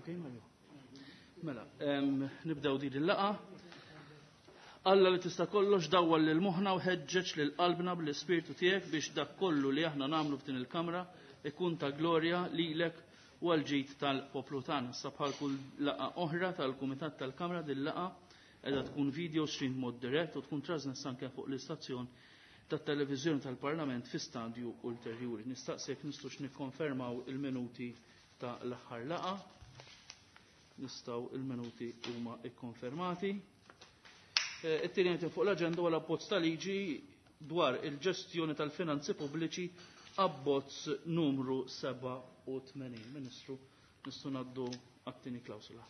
Okay, Mario? Mela, nibdew din il-laqa. Alla li tista' kollox dawwal lil moħħna u ħeġġeġ lil qalbna bl-ispirtu tiegħek biex dak kollu li aħna nagħmlu f'din il-kamra ikun ta' glorja lilek u għall-ġid tal-poplu tagħna. Issa bħal kull laqgħa oħra tal-Kumitat tal-Kamra din laqgħa qiegħda tkun video stream mod dirett u tkun trasmessa anke fuq l-istazzjon tat-televiżjoni tal-Parlament fi stadju ulterjuri. Nistaqsi jekk nistgħux nikkonfermaw il-minuti ta' l-aħħar laqgħa. Nistgħu il-minuti huma ikkonfermati. It-tieni item fuq l-aġenda huwa l-abbozz ta' liġi dwar il-ġestjoni tal-finanzi pubbliċi abbozz numru 87. Ministru, nistgħu ngħaddu għat-tieni klawsula.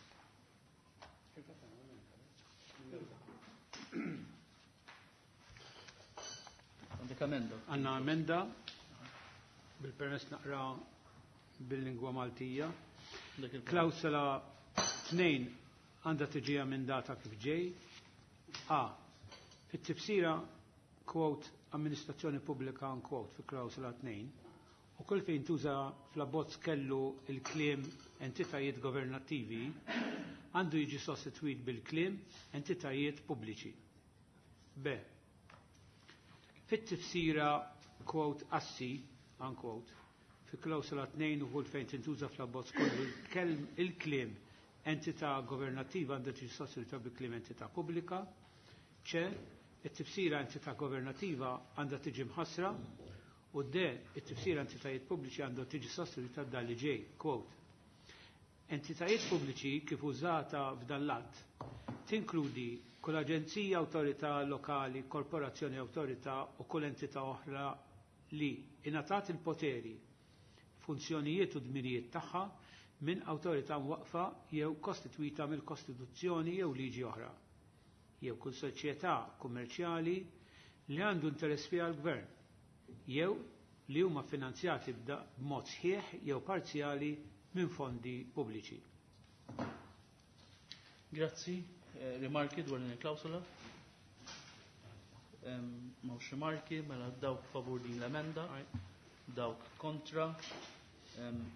Għandek emenda? Għandna emenda, bil-permess naqra bil-lingwa Maltija. Klawsula 2 għandha tiġi emendata kif ġej. A. Fit-tifsira, quote, amministrazzjoni pubblika, unquote, fi klawsula 2, u kull fejn tuża fl-abbozz kellu il-kliem entitajiet governattivi, għandu jiġi sostituit bil-kliem entitajiet pubbliċi. B. Fit-tifsira, quote, assi, unquote, fi klawsula 2 u kull fejn tintuża fl-abbozz kollu il-kliem entità governattiva għandha tiġi sostituita bil-kliem entità pubblika. C. It-tifsira entità governattiva għandha tiġi mħassra. U D. It-tifsira entitajiet pubbliċi għandha tiġi sostituita b'dan li ġej. Quote. Entitajiet pubbliċi kif użata f'dan l-att tinkludi kull aġenzija, awtorità lokali, korporazzjoni, awtorità u kull entità oħra li ingħatat il-poteri, funzjonijiet u dmirijiet tagħha minn awtorità mwaqfa jew kostitwita mill-Kostituzzjoni jew liġi oħra, jew kull soċjetà kummerċjali li għandu interess fiha l-Gvern, jew li huma finanzjati b'mod sħiħ jew parzjali minn fondi pubbliċi. Grazzi. Rimarki dwar din il-klawsola? M'hawnx rimarki, mela dawk favur din l-emenda, dawk kontra.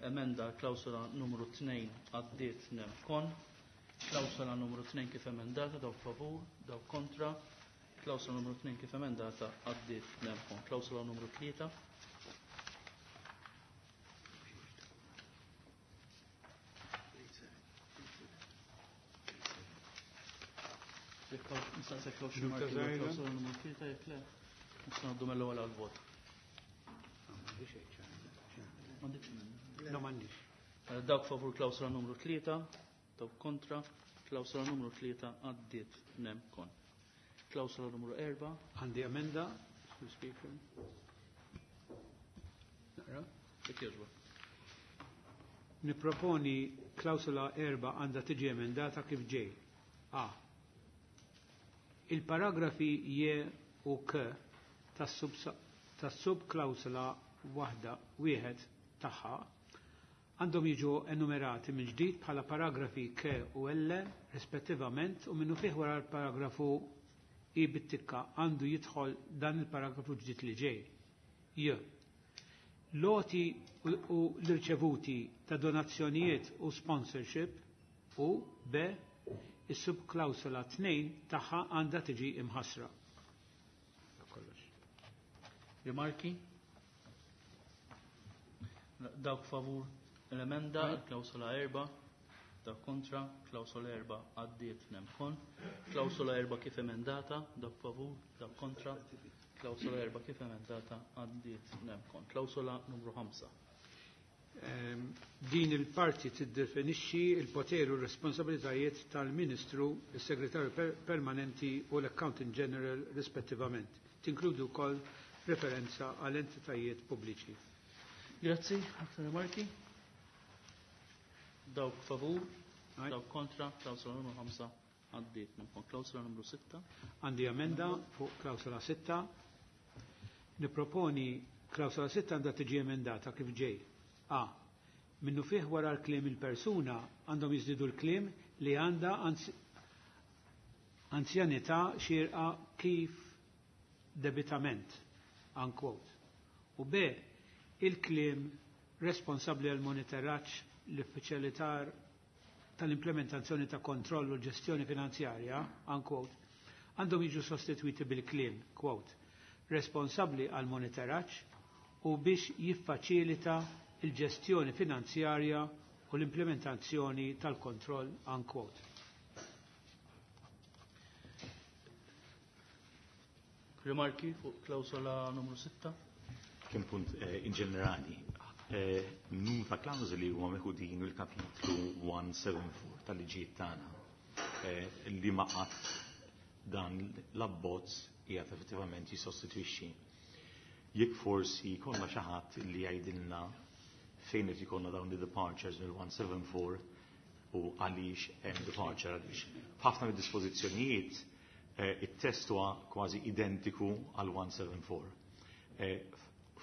Emenda klawsola numru 2 għaddiet nem kon. Klawsola numru 2 kif emendata, dawk favur, dawk kontra. Klawsola numru 2 kif emendata għaddiet nem kon. Klawsola numru 3. Nistaqsek law xi marki dwar klawsola numru 3 jekk le, nistgħu ngħaddu mill-ewwel għall-vot. M'għandekx emenda? No, m'għandix. Dawk favur klawsola numru 3, dawk kontra, klawsola numru 3 għaddiet nem kon. Klawsola numru 4. Għandi emenda, Mr. Speaker. Naqra? Jekk jogħġbok. Niproponi klawsola 4 għandha tiġi emendata kif ġej. A. Il-paragrafi J u K tas-subklawsola waħda wieħed tagħha għandhom jiġu enumerati minn ġdid bħala paragrafi K u L rispettivament u minnu fih wara l-paragrafu I bit-tikka għandu jidħol dan il-paragrafu ġdid li ġej. J. Loti u l-irċevuti ta' donazzjonijiet u sponsorship u B. Is-subklawsola 2 tagħha għandha tiġi imħassra. Kollox. Rimarki? Dawk favur l-emenda, klawsola 4, dawk kontra, klawsola 4 għaddiet nemkon, klawsola 4 kif emendata, dawk favur, dawk kontra, klawsola 4 kif emendata għaddiet nemkon. Klawsola numru 5. Din il-parti tiddefinixxi il-poteri u r-responsabilitajiet tal-Ministru, il-Segretarju Permanenti u l-Accountant General rispettivament. Tinkludi wkoll referenza għal entitajiet pubbliċi. Grazzi, aktar rimarki. Dawk favur, dawk kontra, klawsola numru 5 għaddiet nemkon. Klawsola numru 6. Għandi emenda fuq klawsola 6. Niproponi klawsola 6 għandha tiġi emendata kif ġej. A. Minnu fih wara l-kliem il-persuna għandhom jiżdiedu l-kliem li għandha anzjanità xierqa kif debitament, unquote. U B. Il-kliem responsabbli għal monitoraġġ, l-uffiċjalitar tal-implementazzjoni ta' kontroll u ġestjoni finanzjarja, unquote, għandhom jiġu sostitwiti bil-kliem, quote, responsabbli għal monitoraġġ u biex jiffaċilita il-ġestjoni finanzjarja u l-implementazzjoni tal-kontroll, unquote. Rimarki fuq klawsola numru 6? Kien punt in ġenerali. Numru ta' klawżoli huma meħudin mill-kapitlu 174 tal-liġijiet tagħna li ma qatt dan l-abbozz qiegħed effettivament jissostitwixxi. Jekk forsi jkollna xi ħadd li jgħidilna fejn qed ikollna dawn the departures mill-174 u għaliex hemm departure, għaliex f'ħafna mid-dispożizzjonijiet it-test huwa kważi identiku għal 174.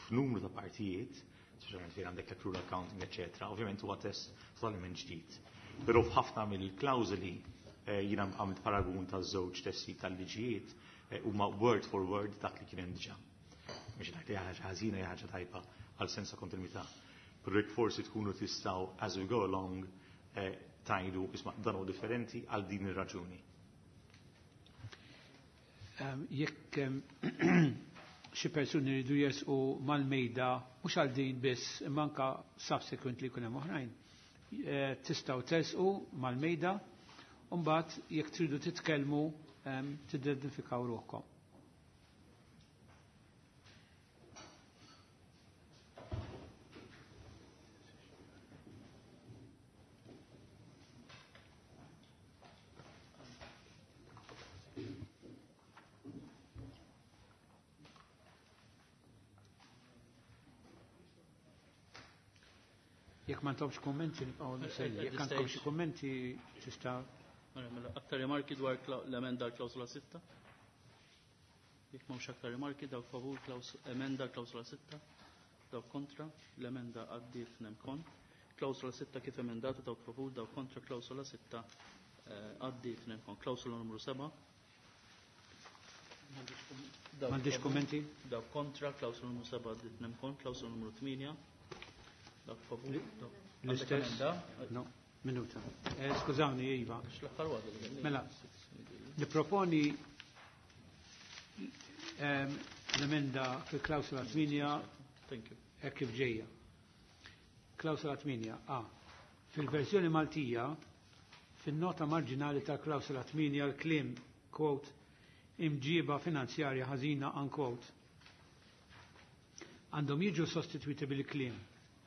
F'numru ta' partijiet, speċjalment fejn għandek l-accrual accounting, eccetera, ovvjament huwa test totalment ġdid. Però f'ħafna mill-klawżoli jiena għamilt paragun ta' żewġ testi tal-liġijiet huma word for word dak li kien hemm diġà. Mhux ngħid li ħaġa ħażina hija ħaġa tajba għal sens ta' kontinwità. Però jekk forsi tkunu tistgħu as we go along tajdu isma' dan hu differenti għal din ir-raġuni. Jekk xi persuni jridu jersqu mal-mejda mhux għal din biss imma anke subsequently jkun hemm oħrajn, tistgħu tersqu mal-mejda u mbagħad jekk tridu titkellmu tidentifikaw ruħkom. Jekk ma ntomx kummenti nibqgħu nistenni. Jekk għandkom xi kummenti tista' Mela, aktar rimarki dwar l-emenda l-klawsola 6? Jekk m'hawnx aktar rimarki, dawk favur emenda l-klawsola 6, dawk kontra, l-emenda għaddiet nemkon. Klawsola 6 kif emendata, dawk favur, dawk kontra, klawsola 6 għaddiet nemkon. Klawsola numru 7. M'għandix kummenti? Dawk kontra, klawsola numru 7 għaddiet nemkon, klawsola numru 8. Dawk favur, dawk L-istess? No, minuta. Skużawni, Iva. X'l-aħħar waħda li għandna? Mela, niproponi l-emenda fil-klawsola 8 Thank you. hekk kif ġejja. Klawsola 8 A. Fil-verżjoni Maltija, fin-nota marġinali ta' klawsola 8 l-kliem, quote, imġiba finanzjarja ħażina, unquote, għandhom jiġu sostitwiti bil-kliem,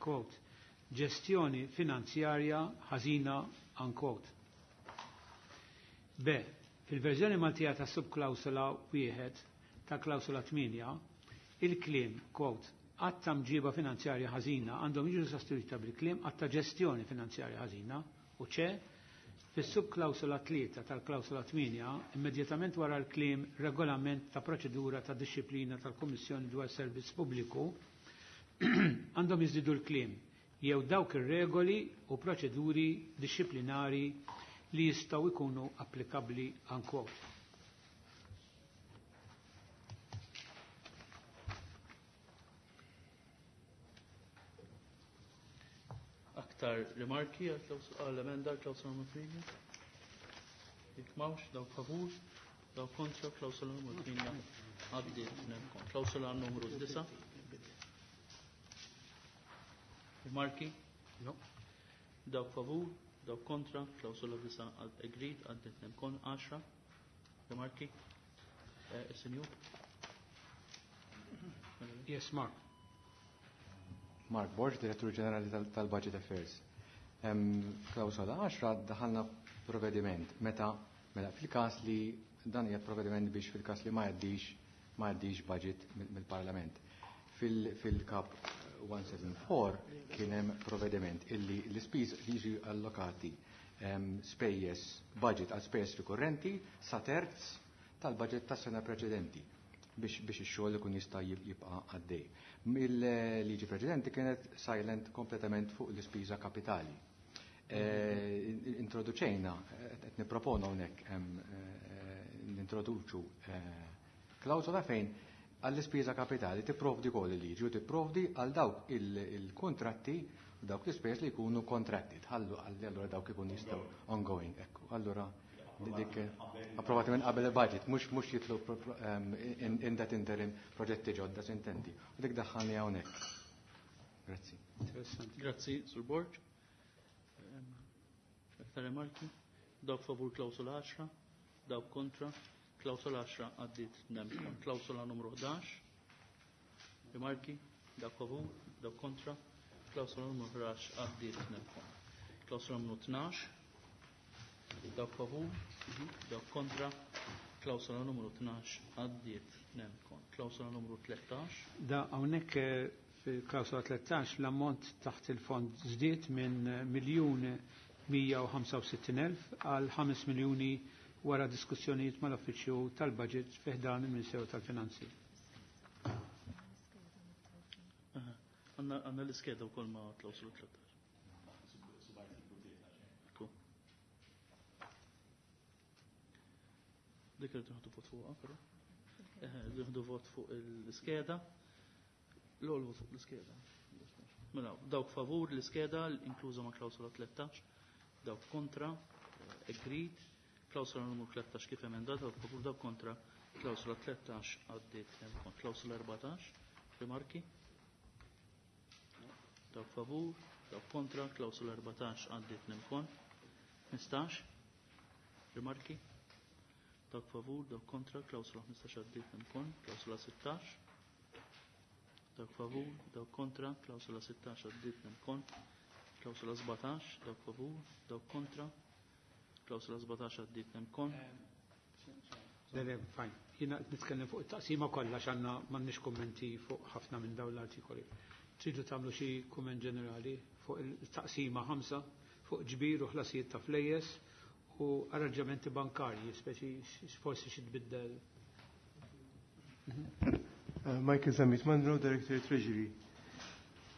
quote, ġestjoni finanzjarja ħażina, unquote. B. Fil-verżjoni Maltija ta' subklawsola 1 ta' klawsola 8, il-kliem, quote, għatta mġiba finanzjarja ħażina għandhom jiġu sostituita bil-kliem għatta ġestjoni finanzjarja ħażina, u ċe, fis-subklawsola 3 tal-klawsola 8, immedjatament wara l-kliem regolament ta' proċedura ta' disċiplina tal-Kummissjoni dwar Servizz Pubbliku, għandhom jiżdiedu l-kliem jew dawk ir-regoli u proċeduri disċiplinari li jistgħu jkunu applikabbli, unquote. Aktar rimarki għall-emenda klawsola numru 8? Jekk m'hawnx, dawk favur, dawk kontra, klawsola numru 8 għaddiet nemkon. Klawsola numru 9. Rimarki? No. Dawk favur, dawk kontra, klawsola 9 agreed, għaddiet nemkon. 10. Rimarki? Is-senjur? Yes, Mark. Mark Borg, Direttur Ġenerali tal-Budget Affairs. Klawsola 10 daħalna provvediment meta mela fil-każ li dan hija provvediment biex fil-każ li ma jgħaddix budget mill-Parlament. Fil-kap 174 kien hemm provvediment illi l-ispiż li jiġu allokati spejjeż budget għal spejjeż rikurrenti sa terz tal-budget tas-sena preċedenti biex ix-xogħol ikun jista' jibqa' għaddej. Mill-liġi preċedenti kienet silent kompletament fuq l-ispiża kapitali. Introduċejna, qed nipproponu hawnhekk nintroduċu klawsola fejn għall-ispiża kapitali tipprovdi wkoll il-liġi u tipprovdi għal dawk il-kontratti Dawk l-ispejjeż li jkunu contracted, ħallu għalli allura dawk ikun jistgħu ongoing. Ekku, allura dik approvati minn qabel il-budget, mhux jitlu in that interim proġetti ġodda sintendi. U dik daħħalni hawnhekk. Grazzi. Interessanti. Grazzi, Sur Borg. Aktar remarki? Dawk favur klawsola 10, dawk kontra, klawsola 10 għaddit nemkon. Klawsola numru 11, rimarki, dawk favur, dawk kontra, klawsola numru 11 għaddit nemkon. Klawsola numru 12, dawk favur, dawk kontra, klawsola numru 12 għaddit nemkon. Klawsola numru 13. Da hawnhekk fil-klawsola 13 l-ammont taħt il-fond żdied minn 1,165,000 għal 5 miljuni wara diskussjonijiet mal-Uffiċċju tal-Budget fi ħdan il-Ministeru tal-Finanzi. Għanna l-iskeda wkoll ma' klawsola 13. Dik irridu nieħdu vot fuqha, però. Nieħdu vot fuq l-iskeda. L-ewwel vot fuq l-iskeda. Mela, dawk favur l-iskeda inkluża ma' klawsola 13, dawk kontra, agreed, klawsola numru 13 kif emendata, dawk favur, dawk kontra, klawsola 13 għaddiet kont. Klawsola 14, rimarki? Dawk favur, dawk kontra, klawsola 14 għaddiet nemkon. 15, rimarki? Dawk favur, dawk kontra, klawsola 15 għaddiet nemkon, klawsola 16, dawk favur, dawk kontra, klawsola 16 għaddiet nemkon, klawsola 17, dawk favur, dawk kontra, klawsola 17 għaddiet nemkon. Le, le, fine. Jiena qed nitkellem fuq it-taqsima kollha x'għandna m'għandniex kummenti fuq ħafna minn dawn l-artikoli. Tridu tagħmlu xi kumment ġenerali fuq il-taqsima 5 fuq ġbir u ħlasijiet ta' flejjes u arranġamenti bankarji, speċi forsi xi tbiddel. Michael Zammit Mandro, Director Treasury.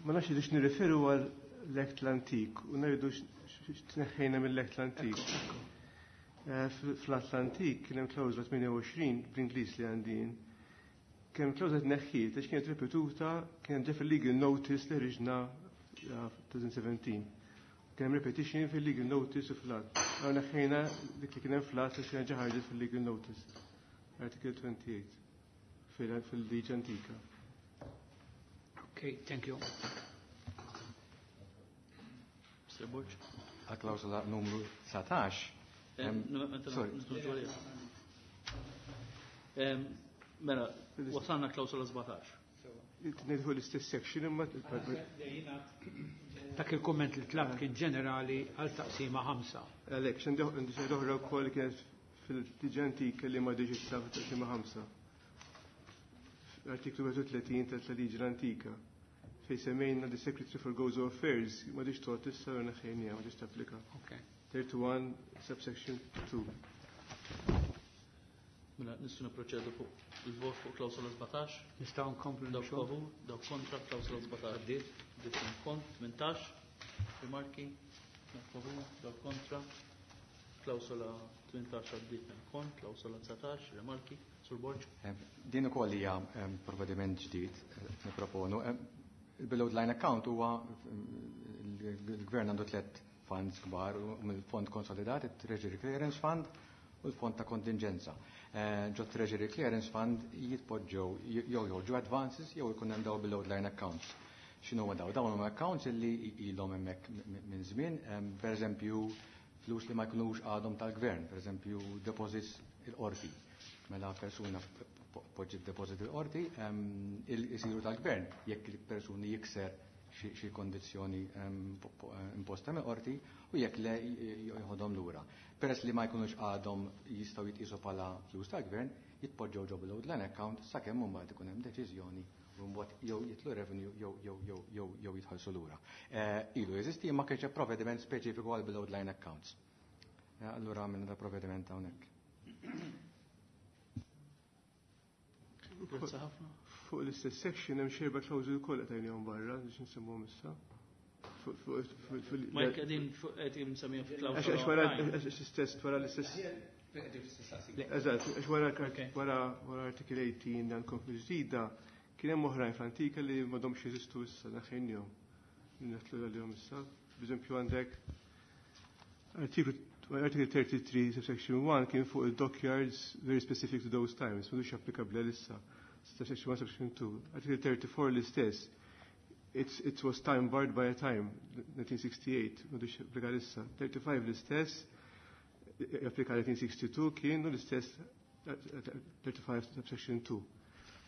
Ma nafx irridux nirreferu għal l-Act l-antik u ngħidu x'tneħħejna mill-Act l-antik. Fl-Atlantik kien hemm klawżla 28 bl-Ingliż li għandin. Kien hemm klawżla tneħħiet għax kienet ripetuta, kien hemm ġa fil-legal notice li ħriġna 2017. Kien hemm repetition fil-legal notice u fl-att. Għaw neħħejna dik li kien hemm fl-att għax kien ġa ħarġet fil-legal notice. Article 28 fil-liġi antika. Okay, thank you. Mr. Borg. Għal klawsola numru 19. Sorry. Mela, wasalna klawsola 17. Nidħu l-istess section imma Dak il-komment li tlab kien ġenerali għal taqsima 5. Għalhekk, x'għandi xi oħra wkoll kienet fil-liġi antika li ma diġi issa fit-taqsima 5. Artiklu 31 tal-liġi l-antika fej semmejna the Secretary for Gozo Affairs ma diġ tot issa u neħħejnija, ma diġ tapplika. Okay. 31 subsection 2. Mela, nistgħu nipproċedu fuq il-vot fuq klawsola 17. Nistgħu nkomplu Dawk nixogħol. favur, dawk kontra, klawsola 17 għaddiet, għaddiet kont, 18, rimarki, dawk favur, dawk kontra, klawsola 18 għaddiet kont, klawsola 19, rimarki, Sur Borg. Din ukoll hija provvediment ġdid nipproponu. Il-below the line account huwa il-gvern għandu tliet funds kbar, u mill-fond konsolidat, il-Treasury Clearance Fund u l-fond ta' kontingenza. Ġo Treasury Clearance Fund jitpoġġew jew joħorġu advances jew ikun hemm daw below the line accounts. X'inhu huma daw? Dawn huma accounts illi ilhom hemmhekk minn żmien, per eżempju flus li ma jkunux għadhom tal-gvern, per eżempju deposits il-qorti. Mela persuna poġġi deposit il-qorti, isiru tal-gvern jekk il-persuni jikser xi kondizzjoni imposta mill-qorti u jekk le jħodhom lura. Peress li ma jkunux għadhom jistgħu jitqisu bħala flus tal-gvern, jitpoġġew ġo below the line account sakemm imbagħad ikun hemm deċiżjoni u mbagħad jew jitlu revenue jew jitħallsu lura. Ilu jeżisti imma kienx hemm provvediment speċifiku għal below the line accounts. Allura għamilna da provvediment hawnhekk. Grazzi ħafna. Fuq l-istess section hemm xi erba' klawżoli wkoll qed tgħinihom barra biex nsemmuhom issa. Ma jekk qegħdin fuq qed insemmihom fi klawżola Għax wara oħrajn. għax l-istess wara l-istess. Eżatt, għax wara wara wara article 18 dan komplu ġdida, kien hemm oħrajn fl-antika li m'għadhomx jeżistu issa naħħejnihom. Nitlu għalihom issa. B'eżempju għandek artiklu Article 33, subsection 1 kien fuq il-dockyards very specific to those times, m'għadux applikabbli għalissa. Subsection 1, subsection 2. Article 34 l-istess. It was time barred by a time, 1968, m'għadux applika għalissa. 35 l-istess, applika 1962 kienu l-istess 35 subsection 2.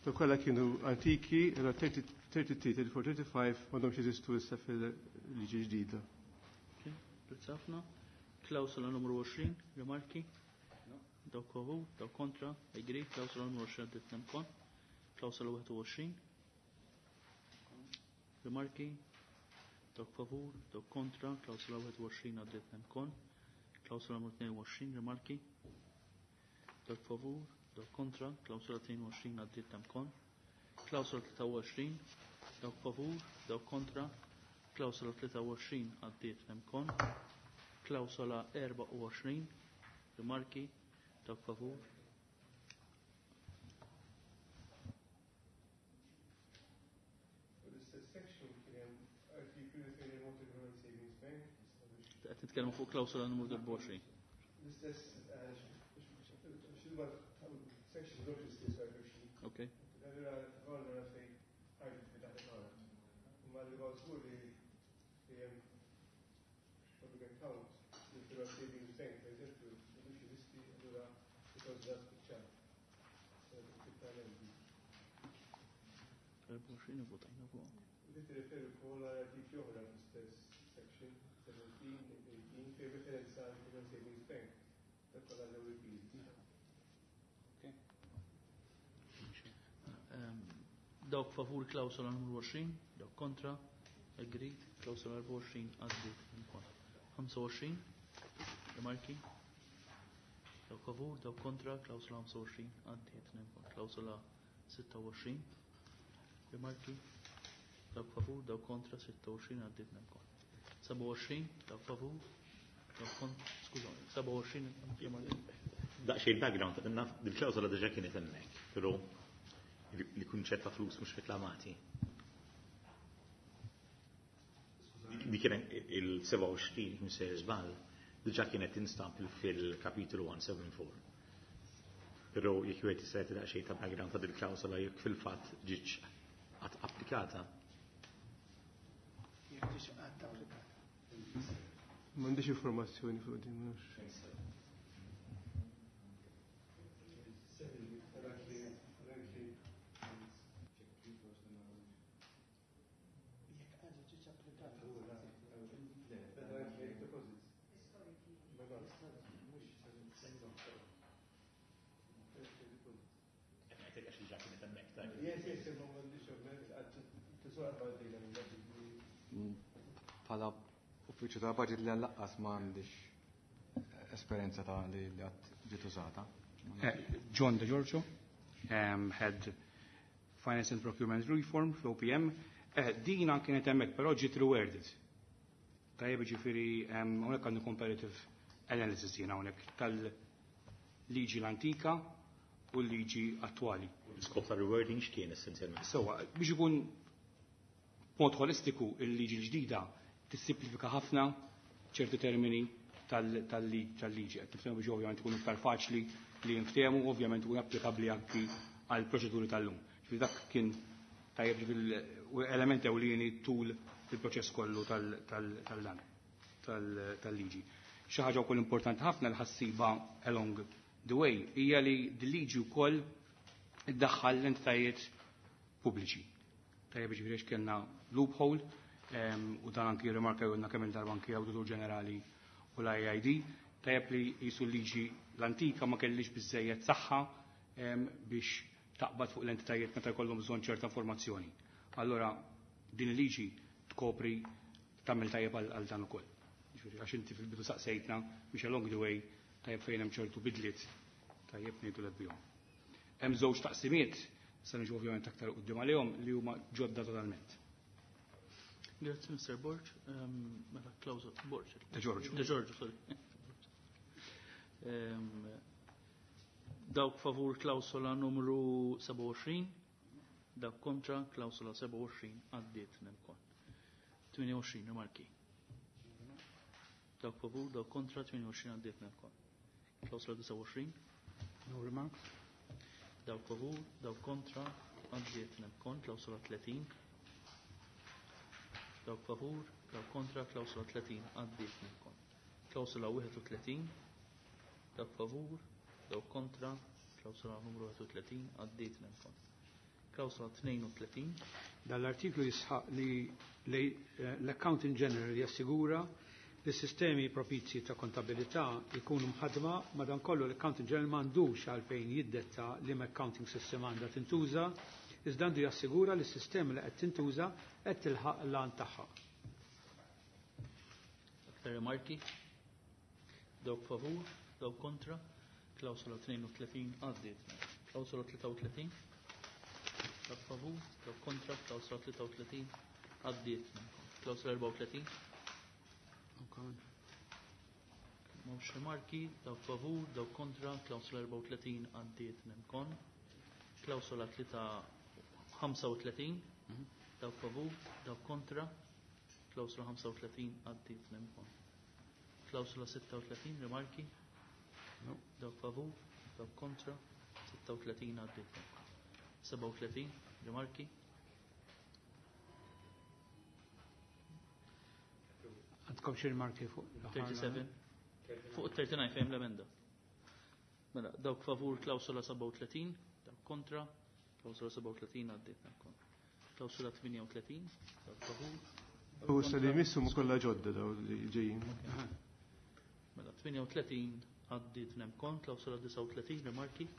To kollha kienu antiki, 33, 34, 35 m'għadhomx jeżistu issa fil-liġi ġdida. Grazzi ħafna. Klawsola numru 20, rimarki? Dawk favur, dawk kontra, agree, klawsola numru 20 għaddiet nemkon. Klawsola 21. Rimarki? Dawk favur, dawk kontra, klawsola 21 għaddiet nemkon. Klawsola numru 22, rimarki? Dawk favur, dawk kontra, klawsola 22 għaddiet nemkon. Klawsola 23, dawk favur, dawk kontra, klawsola 23 għaddiet nemkon. Klawsola 24, rimarki, dawk favur. L-istess section kien hemm artiklu li fejn hemm Malta Government Savings Bank. Qed nitkellmu fuq klawsola numru 24. L-istess section mhux l-istess artiklu. Okay. Allura għandna fejn artiklu taħt għandna. Imma li huwa żgur li hemm public account li fil Savings Bank, per eżempju, mhux jeżisti, allura il-klawsola spiċċat. 24 votajna fuq. Li tirreferi wkoll għal artikli oħra fl-istess section 17, 18 fejn referenza għal Government Savings Bank. Dak kollha ġew repealed. Dawk favur klawsola numru 20, dawk kontra, agreed, klawsola 24 għaddiet ukoll. 25, rimarki, dawk favur, dawk kontra, klawsola 25 għaddiet ukoll. Klawsola 26, rimarki, dawk favur, dawk kontra, 26 għaddiet ukoll. 27, dawk favur, dawk kontra, skużani, 27 rimarki. Daqsxejn background, naf dil-klawsola diġà kienet hemmhekk, però li kunċett ta' flus mhux reklamati. Di kien il-27 mhux żball, diġà kienet tinstab fil-kapitolu 174. Però jekk wieħed jista' jagħti daqsxejn ta' background ta' dil-klawsola jekk fil-fatt ġietx qatt applikata. Jekk ġietx qatt applikata. M'għandix informazzjoni fuq din, ma nafx. Jekk qatt ġietx applikata. Yes, yes, imma m'għandix ovvjament tiswaq għaddejna minn dak Bħala uffiċċju ta' budget li għallaqqas ma għandix esperjenza ta' li għad ġiet użata. John De Giorgio, Head Finance and Procurement Reform fl-OPM. Dina kienet hemmhekk, però ġiet reworded. Tajjeb ġifieri hawnhekk għandu comparative analysis jiena hawnhekk tal-liġi l-antika u l-liġi attwali. L-iskop ta' rewording x'kien essenzjalment? Sewwa, biex ikun mod holistiku il-liġi l-ġdida tissimplifika ħafna ċerti termini tal-liġi. Qed niftehmu biex ovvjament ikunu iktar faċli li jinftehmu, ovvjament ikun applikabbli anki għal proċeduri tal-lum. Ġifieri dak kien tajjeb ġifieri element ewlieni tul il-proċess kollu tal-liġi. Xi ħaġa wkoll importanti ħafna li ħassiba along the way hija li d-liġi wkoll iddaħħal l-entitajiet pubbliċi. Tajjeb ġifieri għax kellna loophole u dan anki rimarka jgħidna kemm il-darba anki Awditur Ġenerali u l-IID, tajjeb li jisu liġi l-antika ma kellix biżejjed saħħa biex taqbad fuq l-entitajiet meta jkollhom bżonn ċerta informazzjoni. Allora din il-liġi tkopri tagħmel tajjeb għal dan ukoll. Ġifieri għax inti fil-bidu saqsejtna biex along the way tajjeb fejn hemm ċertu bidliet tajjeb ngħidu l bihom. Hemm żewġ taqsimiet, se niġu ovvjament aktar quddiem għalihom li huma ġodda totalment. Grazie, Mr. Borg. Mela, Klaus Borg. De Giorgio. De Giorgio, sorry. Dawk favur klawsola numru 27, dawk kontra klawsola 27 għaddiet nemkon. 28 rimarki. Dawk favur, dawk kontra, 28 għaddiet nemkon. Klawsola 29. No remarks. Dawk favur, dawk kontra, għaddiet nemkon. Klawsola 30. Dawk favur, dawk kontra, klawsola 30 għaddiet nemkon. Klawsola 31. Dawk favur, dawk kontra, klawsola numru 31 għaddiet nemkon. Klawsola 32. Dal-artiklu jisħaq li l-Accountant General jassigura li sistemi propizji ta' kontabilità jkunu mħadma, madankollu l-Accountant General m'għandux għalfejn jiddetta li ma accounting system għandha tintuża, iżda għandu jassigura li s-sistema li qed tintuża qed tilħaq l-għan tagħha. Aktar rimarki? Dawk favur, dawk kontra, klawsola 32 għaddiet. Klawsola 33, dawk favur, dawk kontra, klawsola 33 għaddiet. Klawsola 34. Mawx rimarki, dawk favur, dawk kontra, klawsola 34 għaddiet nemkon. Klawsola 35, dawk favur, dawk kontra, klawsola 35 għaddiet nemkon. Klawsola 36, rimarki, No. dawk favur, dawk kontra, 36 għaddiet nemkon. 37, rimarki, Għandkom xi rimarki fuq l-aħħar? 37. Fuq 39 fejn l-emenda. Mela, dawk favur klawsola 37, dawk kontra, klawsola 37 għaddiet nemkon. Klawsola 38, dawk favur. dawk U issa li kontra. jmissu mu kollha ġodda daw li ġejjin. Mela, 38 għaddiet nemkon, klawsola 39, rimarki.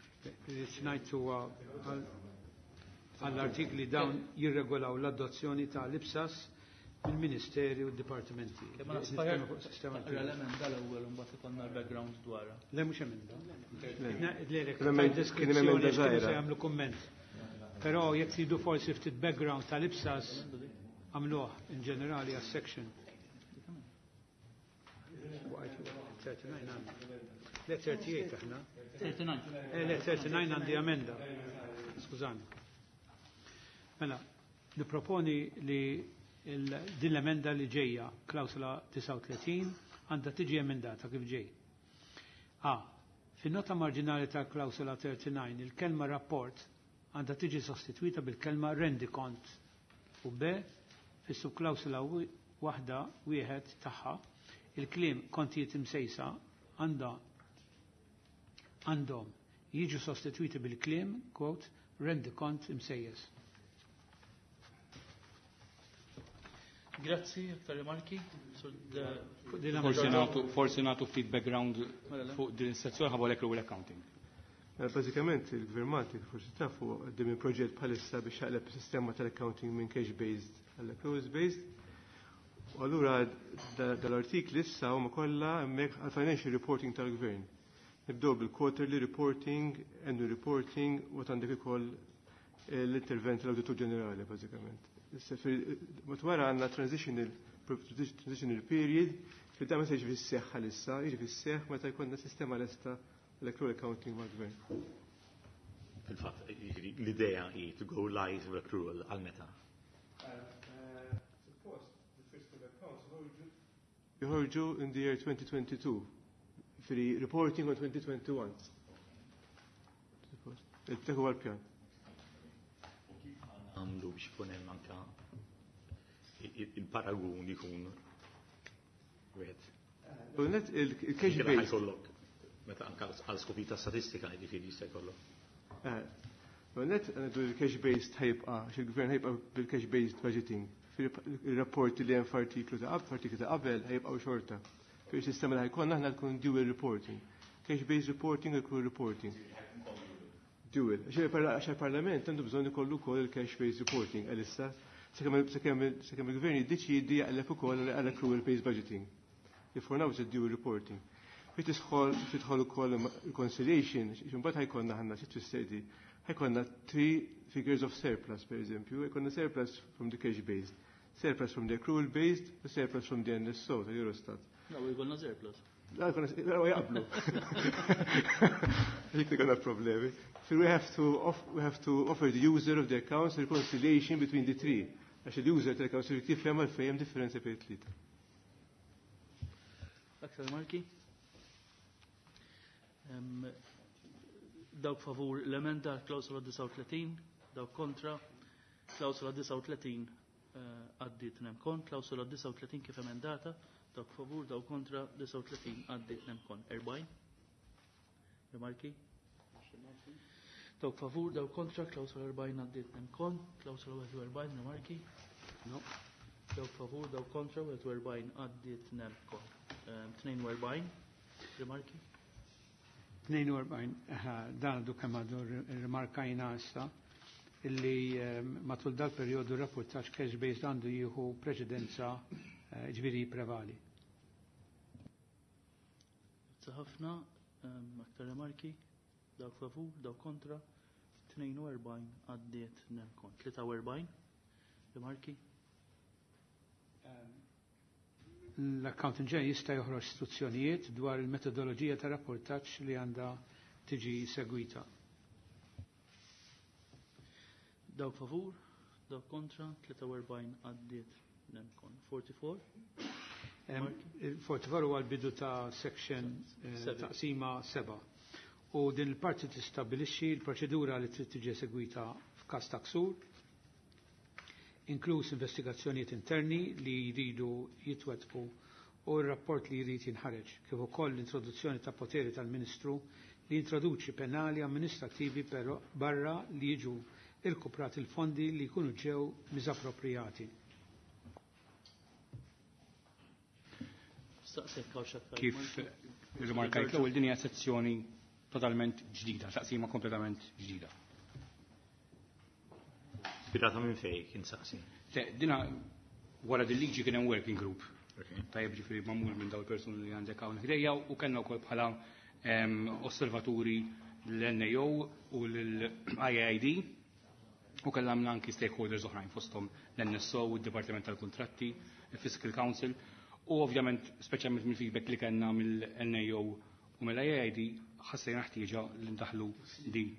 Ngħid huwa għall-artikli dawn jirregolaw l-adozzjoni ta' l-IPSAS mill-Ministeri u d-Dipartimenti. Kemm ma Nitkellmu fuq sistema Taqra l-emenda l-ewwel u mbagħad ikollna l-background dwarha. Le mhux emenda. Le, le, Kien hemm emenda deskrizzjoni għax kienu se żgħira. jagħmlu kumment. Però jekk tridu forsi ftit background tal-IPSAS għamluh in ġenerali għas-section. 39 għandna. Le 38 aħna. 39. Le 39 għandi emenda. Skużani. Mela, niproponi li din l-emenda li ġejja, klawsola 39, għandha tiġi emendata kif ġej. A. Fin-nota marġinali ta' klawsola 39, il-kelma rapport għandha tiġi sostituita bil-kelma rendikont. U B. Fis-subklawsola waħda wieħed tagħha, il-kliem kontijiet imsejsa għandhom jiġu sostituiti bil-kliem, quote, rendikont imsejjes. Grazzi, aktar rimarki. Sur Fuq din Forsi l-emenda. nagħtu forsi nagħtu ftit background Mela, le. fuq din is-sezzjoni ħabba l-accrual accounting. Mela, bażikament il-Gvern Malti forsi tafu għaddej minn proġett bħalissa biex jaqleb sistema tal-accounting minn cash based għall accruals based. U allura dal-artikli issa huma kollha hemmhekk għal financial reporting tal-gvern. Nibdew bil-quarterly reporting, annual reporting, u għandek ukoll l-intervent tal-Awditur Ġenerali bażikament. Issa Matwara għandna transitional period fil da ma se jiġi fis-seħħ għalissa, jiġi fis-seħħ meta jkollna sistema lesta l-accrual accounting mal-gvern. Fil-fatt, jiġifieri, l-idea hi to go live with accrual għal meta. Suppost, the first of accounts joħorġu in the year 2022, fil reporting on 2021. Suppost. Il-dak huwa l-pjan. Għamlu biex ikun hemm anka il-paragun ikun wieħed. U net il-cash Kif based. ħajkollok meta anka għal skopi ta' statistika jiġifieri jista' jkollok. U net għandu il-cash based ħajbqa, xil-gvern ħajbqa bil-cash based budgeting. Fil-rapporti li hemm f'artiklu ta' qabel, f'artiklu ta' qabel ħajbqgħu xorta. Fil-sistema li ħajkonna aħna tkun dual reporting. Cash based reporting u accrual reporting. Dual. Għax il-Parlament għandu bżonn ikollu wkoll il-cash based reporting għalissa sakemm il-gvern jiddeċiedi jaqleb ukoll għal accrual based budgeting. For now it's a dual reporting. Fi tidħol ukoll reconciliation, imbagħad ħajkonna ħanna xi tfisser di. Ħajkonna three figures of surplus, per eżempju, ħajkonna surplus from the cash based, surplus from the accrual based, u surplus from the NSO, ta' Eurostat. No, jkollna surplus. La, jkollna, jaqblu. Dik li konna problemi. So we have to offer the user of the accounts reconciliation between the three. Għax il-user tal-accounts irid jifhem għalfejn hemm differenza bejn it-tlieta. Aktar marki? Dawk favur l-emenda klawsola 39, dawk kontra, klawsola 39 għaddiet nemkon, klawsola 39 kif emendata, dawk favur, dawk kontra, 39 għaddiet nemkon. 40? Rimarki? Dawk favur, dawk kontra, klawsola 40 għaddiet nemkon, klawsola 41, rimarki? No. Dawk favur, dawk kontra, 41 għaddiet nemkon. 42, rimarki? 42, dan għadu kemm għadu rimarkajna issa illi matul dal-perjodu rapportaġġ cash based għandu jieħu preċedenza, ġifieri prevali. Grazzi ħafna, aktar rimarki, dawk favur, dawk kontra, 42 għaddiet nemkon. 43, rimarki? L-accountant general jista' joħroġ istruzzjonijiet dwar il-metodoloġija ta' rapportaġġ li għandha tiġi segwita. Dawk favur, dawk kontra, 43 għaddiet nemkon. 44? 44 huwa l-bidu ta' section taqsima 7. U din il-parti tistabbilixxi l-proċedura li trid tiġi segwita f'każ ta' ksur, inkluż investigazzjonijiet interni li jridu jitwettqu u r-rapport li jrid jinħareġ, kif ukoll l-introduzzjoni ta' poteri tal-Ministru li jintroduċi penali amministrativi però barra li jiġu irkuprati l-fondi li jkunu ġew miżapproprjati. Kif rimarkajt l-ewwel, din hija sezzjoni totalment ġdida, taqsima kompletament ġdida. Ispirata minn fejn kien saqsi? Dina wara din liġi kien hemm working group. Tajjeb, ġifieri magħmul minn dawn il-persuni li għandek hawn ħdejja u kellna wkoll bħala osservaturi l-NAO u l-IAID u kellna anki stakeholders oħrajn fosthom l-NSO u d-Dipartiment tal-Kuntratti, il-Fiscal Council u ovvjament speċjalment mill-feedback li kellna mill-NAO u mill-IAID ħassejna ħtieġa li ndaħlu din.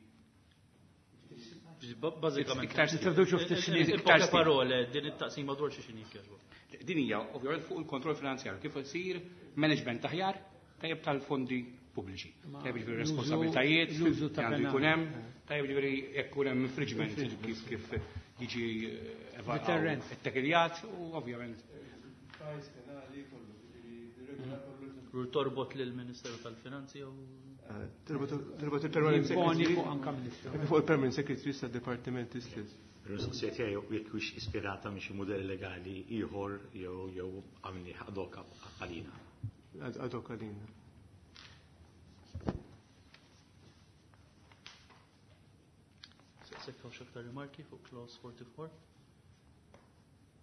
Bażikament. Iktar Introduċu ftit snin. Iktar Poche parole, din it-taqsima dwar xi xini jkjerbu. Din hija ovvjament fuq il-kontroll finanzjarju, kif isir management aħjar tajjeb tal-fondi pubbliċi. Tajjeb ġifieri responsabiltajiet l-użu ta' li għandu jkun penali. hemm, tajjeb ġifieri jekk ikun hemm infringement kif jiġi Deterrent. ettekiljat u ovvjament. Fajs penali kollu, ġifieri regola kollu. Torbot lill-Ministeru tal-Finanzi jew Torbot il-Permanent Jimponi Secretary. fuq anka Ministru. Fuq il-Permanent Secretary sa' Departiment istess. Il-mistoqsija tiegħi jekk hux ispirata minn xi mudell legali ieħor jew għamli ad hoc għalina. Ad hoc għalina. Sekkaw xaktar rimarki fuq clause 44.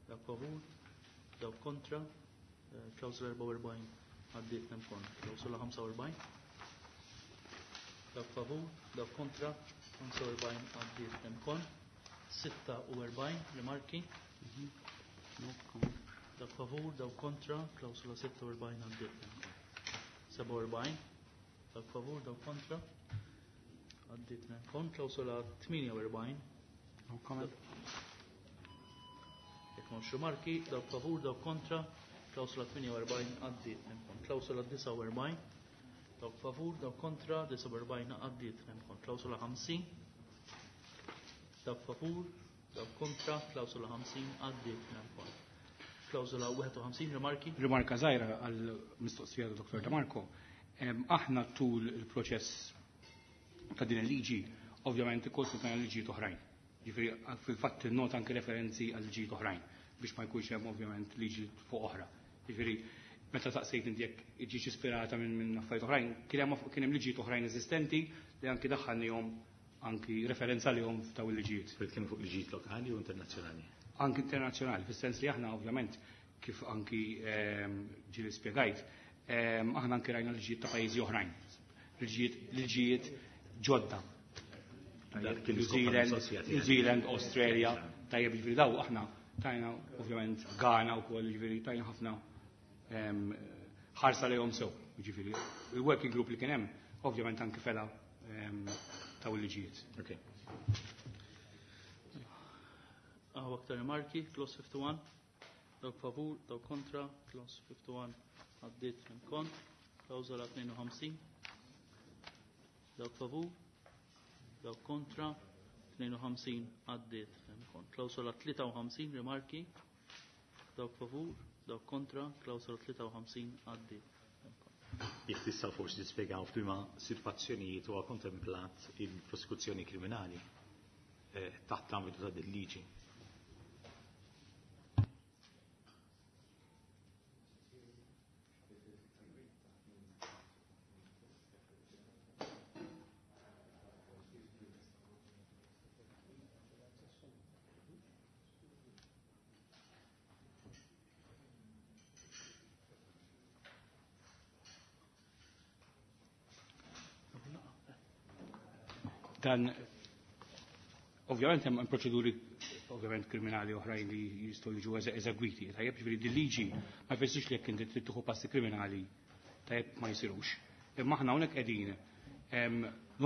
Dawk favur, dawk kontra, clause 44 għaddiet nemkon. Klawsula 45. Dawk favur, dawk kontra, 45 għaddiet nemkon. 46 rimarki. Dawk favur, dawk kontra, klawsula 46 għaddiet nemkon. 47, dawk favur, dawk kontra, għaddiet nemkon. Klawsula 48. No comment. Jekk m'hawnx rimarki, dawk favur, dawk kontra, klawsula 48 għaddiet nemkon. Klawsula 49, dawk favur, dawk kontra, 49 għaddiet nemkon. Klawsula 50, dawk favur, dawk kontra, klawsula 50 għaddiet nemkon. Klawsula 51, rimarki? Rimarka żgħira għal mistoqsija ta' Dr. De Marco. Aħna tul il-proċess ta' din il-liġi, ovvjament ikkonsultajna liġijiet oħrajn. Ġifieri fil-fatt nota anke referenzi għal liġijiet oħrajn biex ma jkunx hemm ovvjament liġi fuq oħra. Ġifieri meta saqsejt inti jekk ġietx ispirata minn affarijiet oħrajn, kien hemm liġijiet oħrajn eżistenti li anki daħħalnihom anki referenza lihom f'daw il-liġijiet. Spirit kienu fuq liġijiet lokali u internazzjonali? Anki internazzjonali, fis-sens li aħna ovvjament kif anki ġieli spjegajt, aħna anki rajna liġijiet ta' pajjiżi oħrajn, liġijiet ġodda. Dak kien New l-iskop Zealand, tal-mistoqsija New tiegħek. Zealand, Australia, tajjeb ġifieri daw aħna tajna ovvjament Ghana wkoll, ġifieri tajna ħafna ħarsa lejhom sew, ġifieri il-working group li kien hemm ovvjament anki fela taw il-liġijiet. Okay. Għaw Hawn aktar rimarki, clause 51. Dawk favur, dawk kontra, clause 51 għaddiet minn kont. Klawżola 52. Dawk favur, dawk kontra, 52 għaddiet minn kont. Klawżola 53, rimarki. Dawk favur, dawk kontra, klawżola 53 għaddiet minn kont. Jekk tista' forsi tispjegaw f'liema sitwazzjonijiet huwa kontemplat il-prosekuzzjoni kriminali taħt l-ambitu ta' din liġi. Dan ovvjament hemm proċeduri ovvjament kriminali oħrajn li jistgħu jiġu eżegwiti. Tajjeb, ġifieri din liġi ma jfissirx li jekk inti trid tieħu passi kriminali tajjeb ma jsirux. Imma aħna hawnhekk qegħdin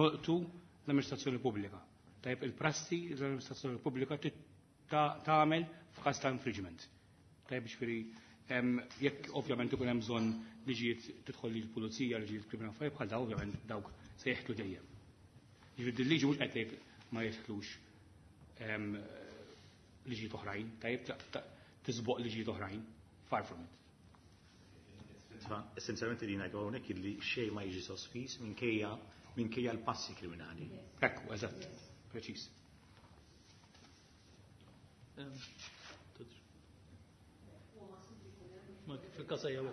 nolqtu l-amministrazzjoni pubblika. Tajjeb, il-prassi l-amministrazzjoni pubblika tagħmel f'każ ta' infringement. Tajjeb, ġifieri jekk ovvjament ikun hemm bżonn liġijiet tidħol lill-pulizija, liġijiet kriminali affarijiet bħal dawn, ovvjament dawk se jeħtlu dejjem. Ġifieri din liġi mhux qed tgħid ma jeħtlux liġijiet oħrajn, tajjeb, tisboq liġijiet oħrajn, far from it. Essenzjalment li ngħidu hawnhekk illi xejn ma jiġi sospiż minkejja l-passi kriminali. Ekku, eżatt, preċiż. Fil-kasa jew.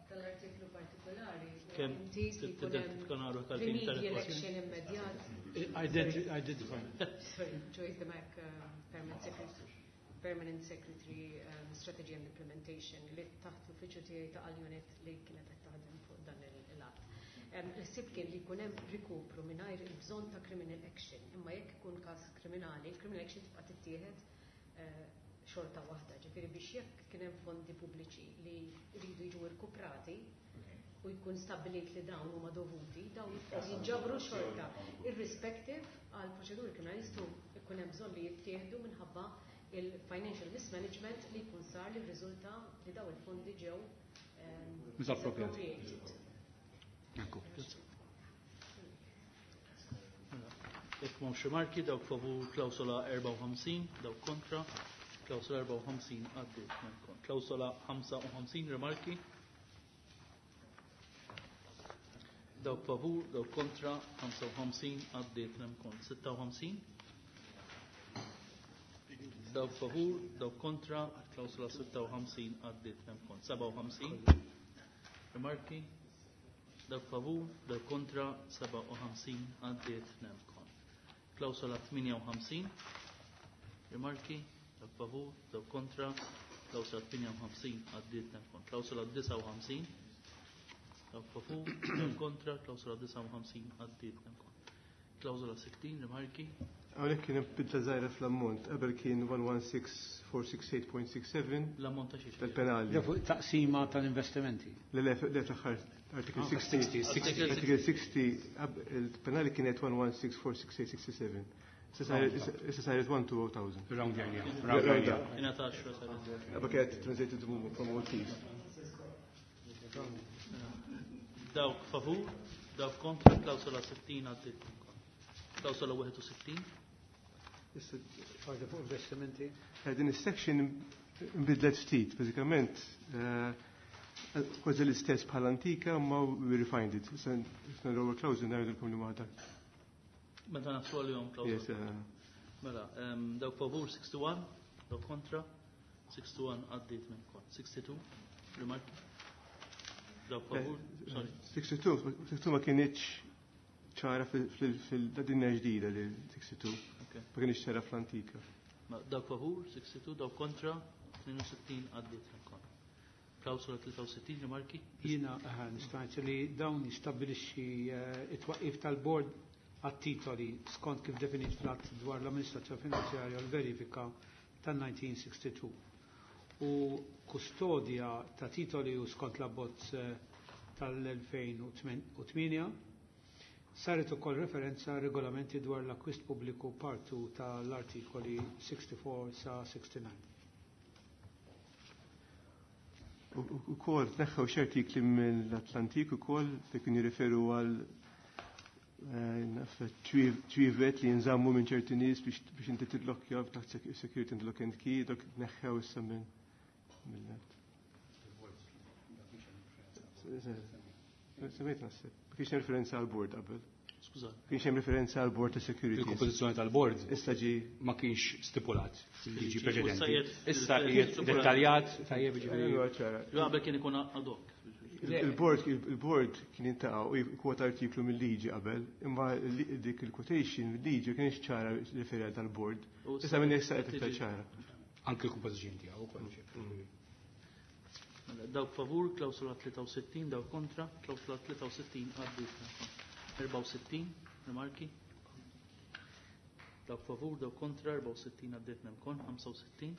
Tal-artiklu partikolari. Kemm tidentifika naru tal-fin Remedial action immedjat. Identify. Sorry, Joyce Demac, Permanent Secretary, Permanent Secretary Strategy and Implementation, li taħt l-uffiċċju tiegħi ta' unit li kienet qed taħdem fuq dan il-att. Il-ħsieb kien li jkun hemm rikupru mingħajr il-bżonn ta' criminal action, imma jekk ikun każ kriminali, il-criminal action tibqa' tittieħed xorta waħda, ġifieri biex jekk kien hemm fondi pubbliċi li jridu jiġu rkuprati u jkun stabbilit li dawn huma dovuti, dawn jinġabru xorta, irrespective għal proċeduri kriminali jistgħu jkun hemm bżonn li jittieħdu minħabba il-financial mismanagement li jkun sar li rriżulta li daw il-fondi ġew Misappropriati. misappropriated. Ekku. Jekk m'hawnx rimarki, dawk favur klawsola 54, dawk kontra, klawsola 54 għaddiet minn kont. Klawsola 55, rimarki. Dawk favur, dawk kontra, 55 għaddiet minn kont. 56. Dawk favur, dawk kontra, klawsola 56 għaddiet minn kont. 57. Rimarki. Dawk favur, dawk kontra, 57 għaddiet minn kont. Klawsola 58. Rimarki. Dawk favur, dawk kontra, klawsola 58 għaddiet minn kont. Klawsola 59. Dawk favur, dawk kontra, klawsola 59 għaddiet minn kont. Klawsola 60, rimarki. Hawnhekk kien hemm bidla żgħira fl-ammont. Qabel kien 116468.67 L-ammont ta' xiex? tal-penali. Da fuq taqsima tal-investimenti. Le, le, le, fl-aħħar article Ah, 60. 60. Article 60, il-penali kienet 116468.67. Issa saret 120,000. Round area. Round Round area. up. Ingħata 10 saret. Qabel kienet translated from Maltese. Dawk favur, dawk kontra, klawsola 60 għaddiet minn kont. Klawsola 61. Issa Għadda fuq investimenti. Din is-section nbidlet ftit, bażikament kważi l-istess bħal antika ma we refined it. Issa l-ewwel clause ngħidulkom li waħda. Meta naslu għalihom klawsola. Yes, Mela, dawk favur 61, dawk kontra, 61 għaddiet minn kont. 62, rimarki. Dawk favur, sorry. 62, 62 ma kienx ċara fil-dinja ġdida li 62. Okay. Ma kienx ċara fl-antika. Ma dawk favur, 62, dawk kontra, 62 għaddiet minn kont. Klawsola 63, rimarki. Jiena nista' li dawn jistabbilixxi it-twaqqif tal-bord għat-titoli skont kif definit fl-att dwar l-amministrazzjoni finanzjarja u l-verifika tal-1962. U kustodja ta' titoli u skont l-abbozz tal-2008. Saret ukoll referenza għal regolamenti dwar l-akkwist pubbliku part 2 tal-artikoli 64 sa 69. U kol tneħħew xi artikli mill-Atlantik ukoll fejn kienu jirriferu għal naf ċwievet li jinżammu minn ċerti nies biex inti tidlokkja taħt security and lock and key, dok tneħħew issa minn mill-net. Semmejt naħseb. Ma kienx hemm referenza għal board qabel. Skuża. Kienx hemm referenza għal board ta' security. Il-kompożizzjoni tal-board Issa ġi ma kienx stipulat fil-liġi Issa preċedenti. qiegħed Issa qiegħed dettaljat tajjeb jiġifieri. Allura ċara. Qabel kien ikun ad hoc. Il-board il-board kien intaqa' u jkwota artiklu mill-liġi qabel, imma dik il-quotation mill-liġi kienx ċara referja tal-board. U Issa minn issa qed iktar tiġi- ċara. Anke l-kompożizzjoni tiegħu wkoll. Mela, dawk favur, klawsula 63, dawk kontra, klawsula 63 għaddiet. 64, rimarki. Dawk favur, dawk kontra, 64 għaddiet nemkon, 65,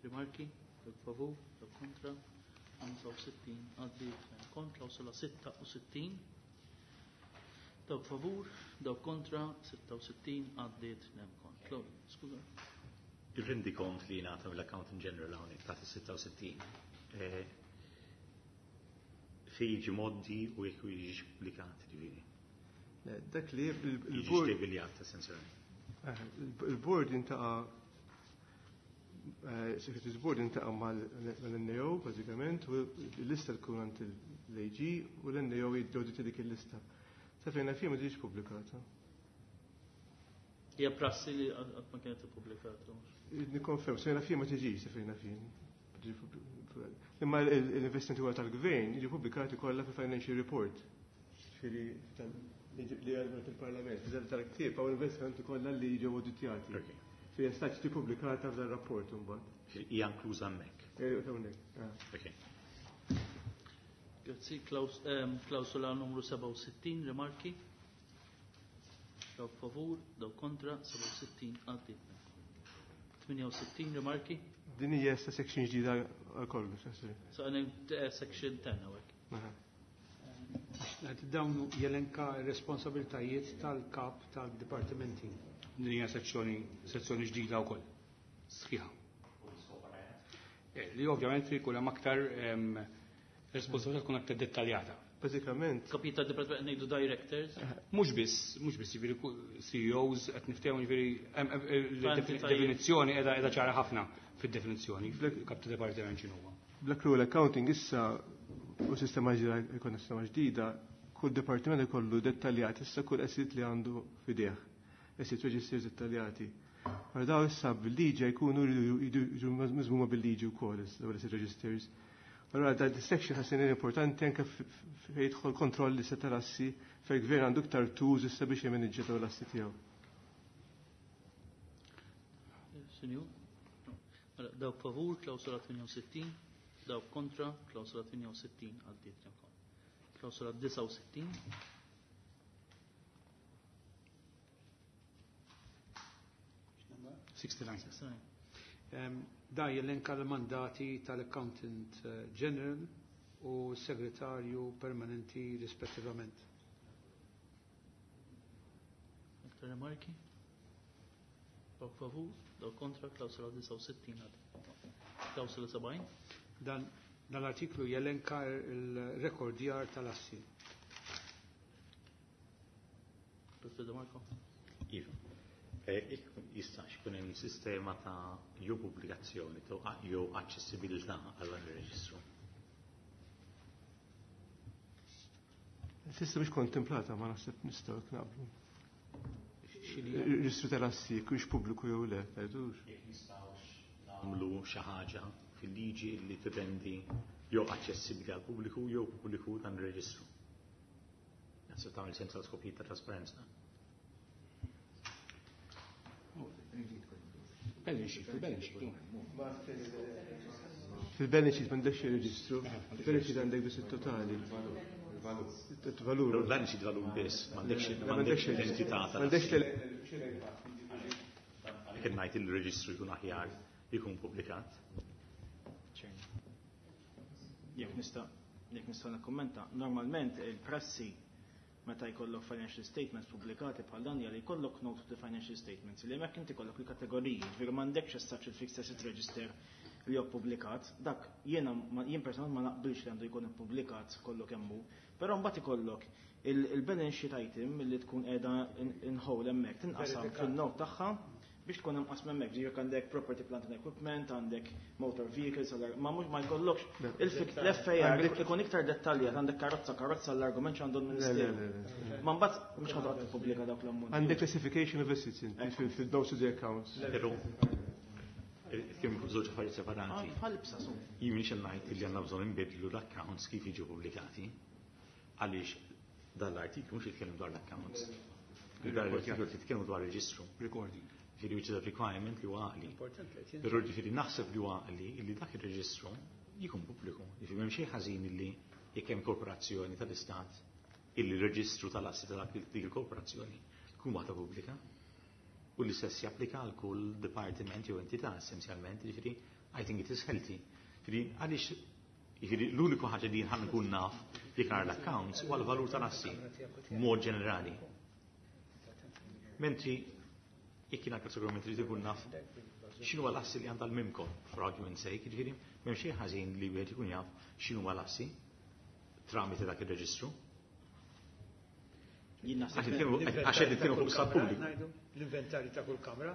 rimarki, dawk favur, dawk kontra, 65 għaddiet nemkon, klawsula 66, dawk favur, dawk kontra, 66 għaddiet nemkon. Skuża. Il-rendikont li jingħata mill-Accountant General hawnhekk taħt is-66 fejn jiġi moddi u jekk jiġi pubblikat ġifieri. Le, Dak li Jiġi il-board deviljat essenzjalment. Il-board intaqa Secretary's Board intaqa mal-NAO, bażikament, u l-lista tkun għand l-AG u l-NAO jiddoditi dik il-lista. Sa fejn naf jien ma tiġix pubblikata. Hija prassi li qatt ma kienet ippubblikata. Nikkonferm, sa fejn naf jien ma tiġix, sa fejn naf jien. Ma tiġix Imma l-investimenti kollha tal-gvern jiġu pubblikati kollha fil-financial report. Ġifieri li għadna fil-Parlament, tal-ktieb hawn investimenti kollha li jiġu auditjati. Ok. Fi jistax tiġi pubblikata f'dan rapport imbagħad. Ġifieri Hija inkluża hemmhekk. Hawnhekk. Ok. Grazzi, klawsula numru 67, rimarki. Dawk favur, dawk kontra, 67 għaddiet. 68 rimarki. Din hija issa section ġdida għal kollox. jasir. So għanem section 10 hawnhekk. Aha. Dawn jelenka r-responsabiltajiet tal-kap tal-dipartimenti. Din hija sezzjoni sezzjoni ġdida wkoll. Sħiħa. Li ovvjament jkun hemm aktar responsabilità tkun aktar dettaljata. Bażikament, Kapita department ngħidu directors. Mhux biss, mhux biss jiġifieri CEOs qed niftehmu jiġifieri Entitajiet. definizzjoni qiegħda qiegħda ċara ħafna fid-definizzjoni kap ta' dipartiment x'inhu huwa. Bl-accrual accounting issa u sistema ġdida jkollna sistema ġdida, kull dipartiment ikollu dettaljat issa kull asset li għandu fideh. Asset registers dettaljati. Għal daw issa bil-liġi jkunu jridu miżmuma bil-liġi wkoll issa dawn l-asset registers. Allora da section ħassin importanti anke fejn jidħol kontroll issa tal-assi fejn gvern għandu iktar tools issa biex jimaniġġja dawn l-assi tiegħu. Sinjur? No. Mela, dawk favur, klawsula 68, dawk kontra, klawsula 68 għaddiet nemkon. Klawsula 69, Sixty-nine. Da jelenka l-mandati tal-Accountant General u Segretarju Permanenti rispettivament. Aktar rimarki? Dawk favur, dawk kontra, klawsula 69 għaddiet. Klawsula 70, Dan l-artiklu jelenka il-rekordjar tal-assi. Dr. De Marco. Iva. Jistax ikun hemm sistema ta' jew pubblikazzjoni jew aċċessibilità għal dan ir-reġistru. S'issa mhix kontemplata ma naħseb nistgħu naqblu. X'inhi? Il-reġistru tal-assi jekk hux pubbliku jew le, tgħidux. Jekk nistgħux nagħmlu xi ħaġa fil-liġi li tirrendi jew aċċessibbli għal pubbliku jew pubbliku dan ir-reġistru. Naħseb tagħmel sens għal skopijiet ta' trasparenza. Balance sheet, il-balance sheet. Fil-balance sheet m'għandekx il-reġistru, fil-balance sheet għandek biss it-totali. Il-valur. Il-balance sheet valur biss, m'għandekx l-entità ta' M'għandekx Kien ngħid il-reġistru jkun aħjar jkun pubblikat. Jekk nista' nikkummenta, normalment il-prassi meta jkollok financial statements pubblikati bħal dan hija li jkollok note to the financial statements li hemmhekk inti jkollok il-kategoriji, ġifieri m'għandekx as such il-fixed asset register li hu ppubblikat, dak jiena jien personalment ma naqbilx li għandu jkun ippubblikat kollu kemm hu, però mbagħad ikollok il-balance sheet item li tkun qiegħda in whole hemmhekk tinqasam fin-note tagħha biex tkun hemm qasma hemmhekk. Ġifieri għandek property, plant and equipment, għandek motor vehicles, ma mhux ma jkollokx l-FAR ikun iktar dettaljat, għandek karozza karozza l-argument x'għandu l-Ministeru. Ma mbagħad mhux ħa toqgħod tippubblika dawk l-ammont. Għandek classification of assets fil-notes to the accounts. Però kien żewġ affarijiet separati. Bħal IPSAS. Jien mhix ngħid li għandna bżonn inbidlu l-accounts kif jiġu pubblikati. Għaliex dan l-artiklu mhux jitkellem dwar l-accounts. Dan l-artiklu jitkellem dwar reġistru. Recording. Ġifieri which is a requirement li huwa għaqli. Però ġifieri naħseb li huwa għaqli li dak ir-reġistru jkun pubbliku. Ġifieri m'hemm xejn ħażin illi jekk hemm korporazzjoni tal-Istat illi r-reġistru tal-assi ta' dik il-korporazzjoni tkun waħda pubblika. U l-istess japplika għal kull departiment jew entità essenzjalment, ġifieri I think it is healthy. Ġifieri għaliex ġifieri l-uniku ħaġa li jien nkun naf jekk nara l-accounts huwa l-valur tal-assi mod ġenerali. Mentri jekk jiena kategoriment trid ikun naf x'inhu l-assi li għandha l-MIMCO, for argument's sake, ġifieri m'hemm xejn ħażin li wieħed ikun jaf x'inhu l-assi tramite dak ir-reġistru. Għax qed nitkellmu fuq stat pubbliku. L-inventarju ta' kull kamra?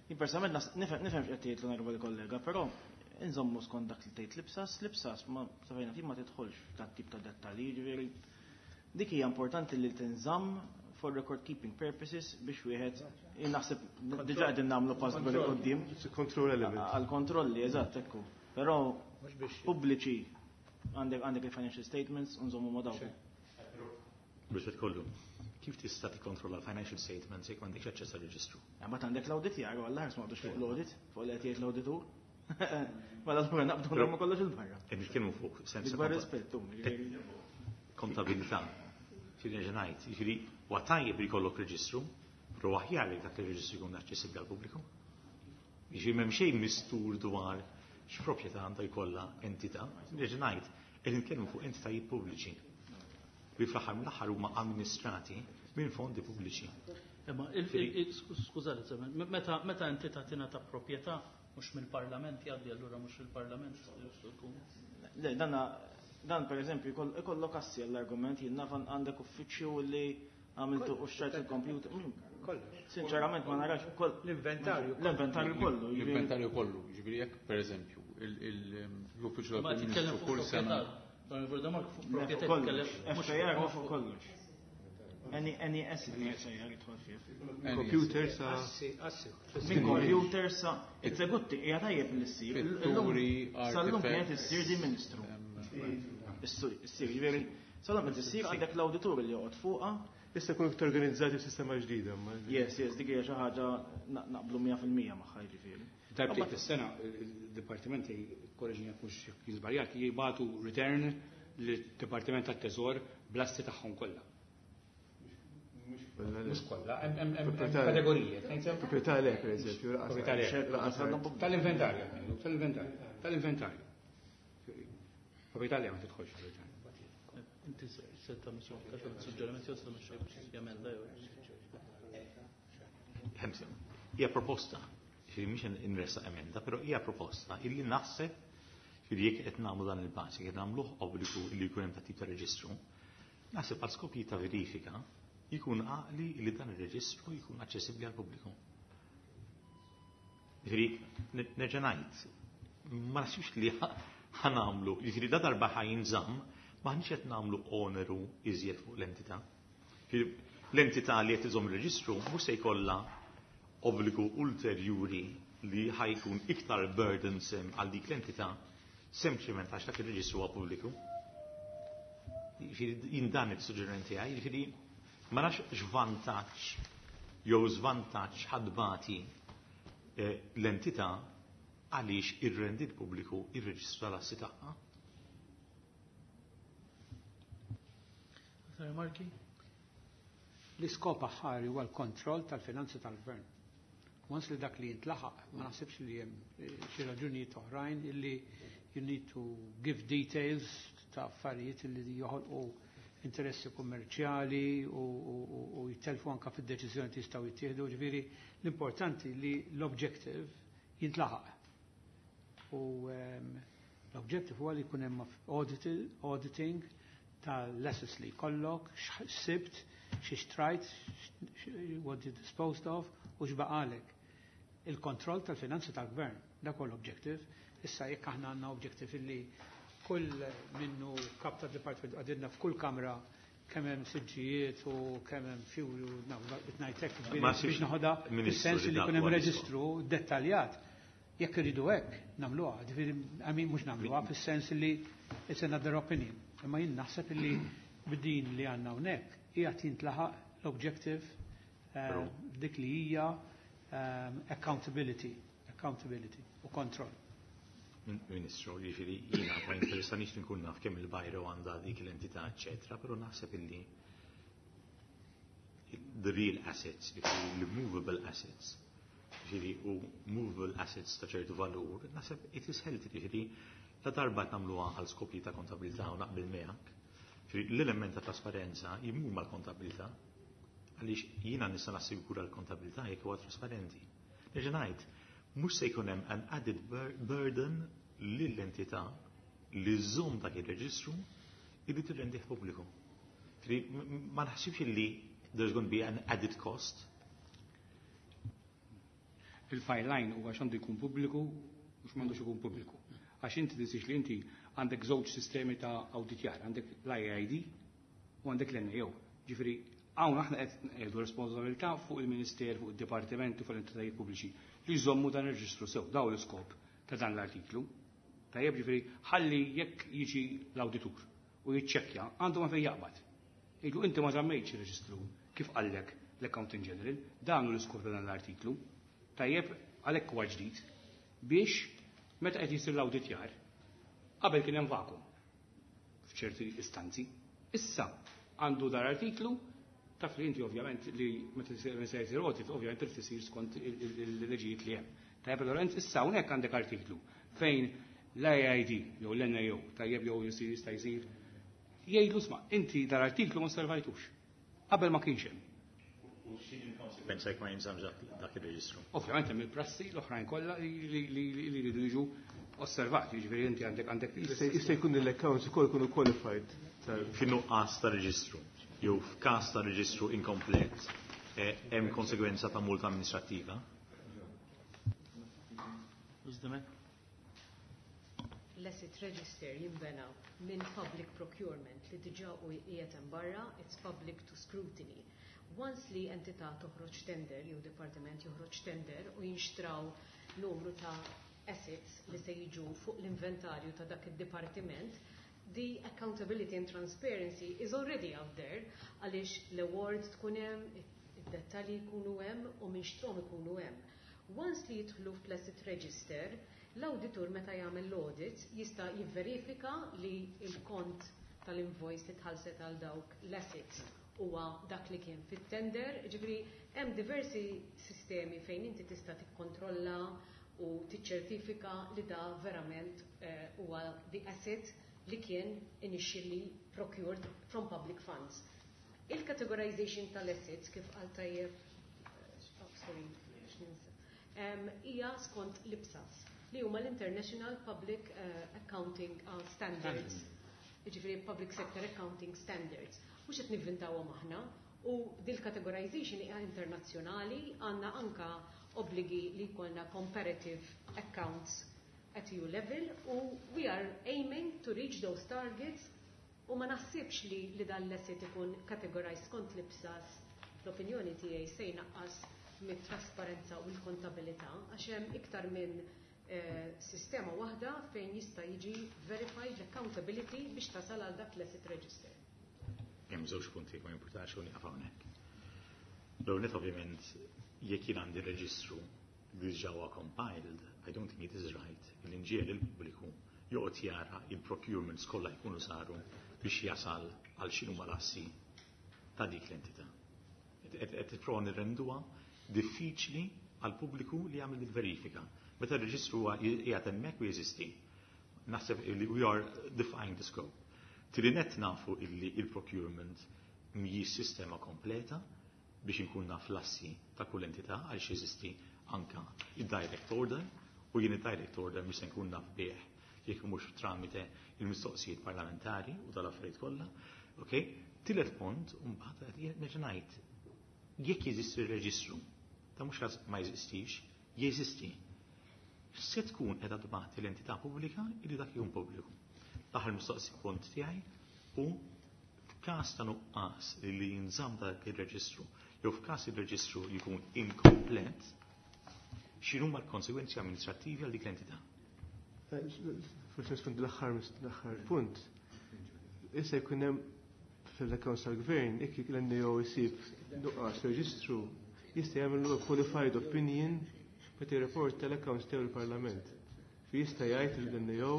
Jien personalment nifhem x'qed tgħid l-onorevoli kollega, però inżommu skont dak li tgħid l-IPSAS, l-IPSAS ma safejna fih ma tidħolx f'dat tip ta' dettalji, ġifieri dik hija importanti li tinżamm for record keeping purposes biex wieħed naħseb diġà qegħdin nagħmlu pass bil quddiem. It's a control element. Għal kontrolli, eżatt, ekku. Però pubbliċi għandek il-financial statements u nżommu ma' dawk. Biex kollu, kif tista' tikkontrolla l-financial statements jekk m'għandekx aċċess għal-reġistru? Mbagħad għandek l-audit jaru għall ħars ma fuq l-audit, fuq li qed jgħid l-auditur. Mela allura naqbdu nagħmlu kollox il-barra. Qed nitkellmu fuq sens ta' rispettu. Kontabilità. Ġifieri nerġa' ngħid, jiġifieri huwa tajjeb li jkollok reġistru, però aħjar li dak ir-reġistru jkun aċċessibbli għall-pubbliku. Jiġifieri m'hemm xejn mistur dwar x'proprjetà għandha jkollha entità. Nerġa' ngħid, qed nitkellmu fuq entitajiet pubbliċi li fl-aħħar mill-aħħar huma amministrati minn fondi pubbliċi. Imma skużani, meta entità tingħata proprjetà mhux mill-Parlament jgħaddi allura mhux il-Parlament ikun. Le, dan per eżempju ikollok assi għall-argument jien naf għandek uffiċċju li għamiltu u xtrajt il-computer. Sinċerament ma narax L-inventarju. L-inventarju kollu. L-inventarju kollu, ġifieri jekk per eżempju l-uffiċċju tal-Prim Ministru kull sena. FAR huwa fuq kollox. Any asset li FAR jidħol fih. Computer sa. Assi. Min computer sa. It's a good thing, hija tajjeb li ssir. Pitturi, Sal-lum kienet issir di ministru. Issir, ġifieri, sal-lum qed issir għandek l-awditur li joqgħod fuqha. Issa jkunu iktar organizzati f'sistema ġdida. Yes, dik hija xi ħaġa naqblu 100% magħha jiġifieri. Darbtejn fis-sena il-dipartimenti, korreġini jekk mhux żbaljat, jibagħtu return lid-Dipartiment tat-Teżor bl-assi tagħhom kollha. Mhux kollha, hemm kategoriji. Proprjetà le, per eżempju, Proprjetà le. Tal-inventarju, tal-inventarju, tal-inventarju. Proprjetà le ma tidħolx fil-return. Inti se tagħmel suġġerimenti jew se tagħmel xi emenda jew. Hija proposta, ġifieri mhix inressa emenda, però hija proposta illi naħseb ġifieri jekk qed nagħmlu dan il-pass, jekk qed nagħmluh obbligu li jkun hemm tip ta' reġistru, naħseb għal skopijiet ta' verifika jkun għaqli li dan ir-reġistru jkun aċċessibbli għall pubbliku. Ġifieri nerġa' ngħid, ma naħsibx li ħa nagħmlu, ġifieri da darba ħa jinżamm, m'aħniex qed nagħmlu oneru iżjed fuq l-entità. L-entità li qed iżomm ir-reġistru mhux se jkollha obbligu ulterjuri li ħa jkun iktar burdensome għal dik l-entità sempliċement għax dak ir-reġistru huwa pubbliku. Jiġifieri jien dan is-suġġeriment tiegħi, jiġifieri ma nafx x'vantaġġ jew żvantaġġ ħa tbati l-entità għaliex irrendit pubbliku ir-reġistru tal-assi tagħha. Remarki? L-iskop aħħari huwa l-kontroll tal-finanzi tal-gvern. Once li dak li jintlaħaq, ma naħsibx li hemm xi raġunijiet oħrajn illi you need to give details. ta' affarijiet li joħolqu interessi kummerċjali u jittelfu anka fid-deċiżjoni li jistgħu jittieħdu, ġifieri l-importanti li l-objective jintlaħaq. U l-objective huwa li jkun hemm auditing tal-assets li jkollok, x'sibt, xi xtrajt, what you disposed of u x'baqalek. Il-kontroll tal-finanzi tal-gvern, dak huwa l-objective. Issa jekk aħna għandna objective illi kull minnu kap ta' department għadilna f'kull kamra kemm hemm siġġijiet u kemm hemm fuel u ngħidlek biex noħodha fis-sens li jkun hemm reġistru dettaljat. Jekk iridu hekk nagħmluha, ġifieri I mean mhux nagħmluha fis-sens li it's another opinion. Imma jien naħseb li b'din li għandna hawnhekk qiegħed jintlaħaq l-objective dik li hija accountability, accountability u control. Ministru, jiġifieri jiena ma jinteressanix li nkun naf kemm il-bajro għandha dik l-entità, eċetera, però naħseb illi the real assets, jiġifieri l-movable assets, jiġifieri u movable assets ta' ċertu valur, naħseb it is healthy, jiġifieri la darba nagħmluha għal skopji ta' kontabilità u naqbel miegħek. Jiġifieri l-element ta' trasparenza jimur mal-kontabilità, għaliex jiena nista' nassigura l-kontabilità jekk huwa trasparenti. Nerġa' ngħid, mhux se jkun hemm an added burden lill-entità li żżomm dak ir-reġistru illi tirrendih pubbliku. Ma naħsibx li there's going to be an added cost. Il-fine line huwa x'għandu jkun pubbliku u x'm'għandux ikun pubbliku. Għax inti tinsiex li inti għandek żewġ sistemi ta' awditjar, għandek l-IAID u għandek l-NAO. Ġifieri hawn aħna qed ngħidu responsabilità fuq il-Ministeru, fuq id-dipartimenti, fuq l-entitajiet pubbliċi li jżommu dan ir-reġistru sew, daw l-iskop ta' dan l-artiklu. Tajjeb, ġifieri ħalli jekk jiġi l-awditur u jiċċekkja għandu ma fejn jaqbad. Iġu inti ma żammejtx ir-reġistru kif qallek l-Accountant General, dan hu l-iskop ta' dan l-artiklu. Tajjeb, għalhekk huwa ġdid biex meta qed jisir l-awditjar qabel kien hemm vacuum f'ċerti istanzi. Issa għandu dar artiklu taf li inti ovvjament li meta se jsir audit ovvjament trid isir skont il-leġijiet li hemm. Tajjeb, Lorenz, issa hawnhekk għandek artiklu fejn l-IID jew l-NAO, tajjeb, jew jisir jista' jsir jgħidlu sma' inti dar artiklu ma servajtux. Qabel ma kienx hemm. U x'inhi l-konsekwenza jekk ma jinżammx dak ir-reġistru? Ovvjament hemm il-prassi l-oħrajn kollha li jridu jiġu osservati, jiġifieri inti għandek Jista' jkun l-accounts ukoll ikunu qualified. Fin-nuqqas ta' reġistru jew f'każ ta' reġistru inkomplet, hemm konsegwenza ta' multa amministrattiva? Użdemek? L-asset register jinbena minn public procurement li diġà u qiegħed hemm barra, it's public to scrutiny. Once li entità toħroġ tender jew dipartiment joħroġ tender u jinxtraw numru ta' assets li se jiġu fuq l-inventarju ta' dak id-dipartiment, the accountability and transparency is already out there għaliex l-award tkun hemm, id-dettalji jkunu hemm u min xtrom ikunu hemm. Once li jidħlu fl-asset register, l-auditur meta jagħmel l-audit jista' jivverifika li l-kont tal-invoice li tħallset għal dawk l-assets huwa dak li kien fit-tender, ġifieri hemm diversi sistemi fejn inti tista' tikkontrolla u tiċċertifika li da verament huwa the asset li kien initially procured from public funds. Il-categorization tal-assets kif qal tajjeb, oh, sorry, x'ninsa, hija skont l-IPSAS li huma l-International Public Accounting Standards, jiġifieri Public Sector Accounting Standards. Mhux qed nivvintawhom aħna u dil-categorization hija internazzjonali, għandna anka obbligi li jkollna comparative accounts at EU level u we are aiming to reach those targets u ma naħsibx li dan l-asset ikun categorized skont l-IPSAS, l-opinjoni tiegħi se jnaqqas mit-trasparenza u l-kontabilità għax hemm iktar minn sistema waħda fejn jista' jiġi verified l-accountability biex tasal għal dak l-asset register. Hemm żewġ punti ma jimpurtax u nieqaf hawnhekk. L-ewwel nett ovvjament jekk jien għandi reġistru li diġà huwa compiled, I don't think it is right li nġiegħel il-pubbliku joqgħod jara il-procurements kollha jkunu saru biex jasal għal x'inhuma l-assi ta' dik l-entità. Qed tipprova nirrenduha diffiċli għal pubbliku li jagħmel il-verifika. Meta r-reġistru huwa qiegħed hemmhekk u jeżisti. Naħseb li we are defying the scope. Tieni nett nafu illi il-procurement mhijiex sistema kompleta biex inkun naf l-assi ta' kull entità għaliex jeżisti anka il-direct order u jien il-direct order mhux se nkun naf bih jekk mhux tramite il-mistoqsijiet parlamentari u tal-affarijiet kollha. Okay? Tielet punt, mbagħad nerġa' ngħid jekk jeżisti r-reġistru, ta' mhux ma jeżistix, jeżisti. Se tkun qiegħda tbagħti l-entità pubblika illi dak jkun pubbliku. L-aħħar mistoqsi punt tiegħi u f'każ ta' nuqqas li jinżamm dak ir-reġistru jew f'każ ir-reġistru jkun inkomplet, x'inhuma l-konsegwenzi amministrattivi għal dik l-entità? Forsi nispondi l-aħħar punt. Issa jkun hemm fil-accounts tal-gvern, jekk l-NAO jsib nuqqas reġistru, jista' jagħmel qualified opinion meta jirrapporta tal-accounts tiegħu l-Parlament. Fi jista' jgħid l-NAO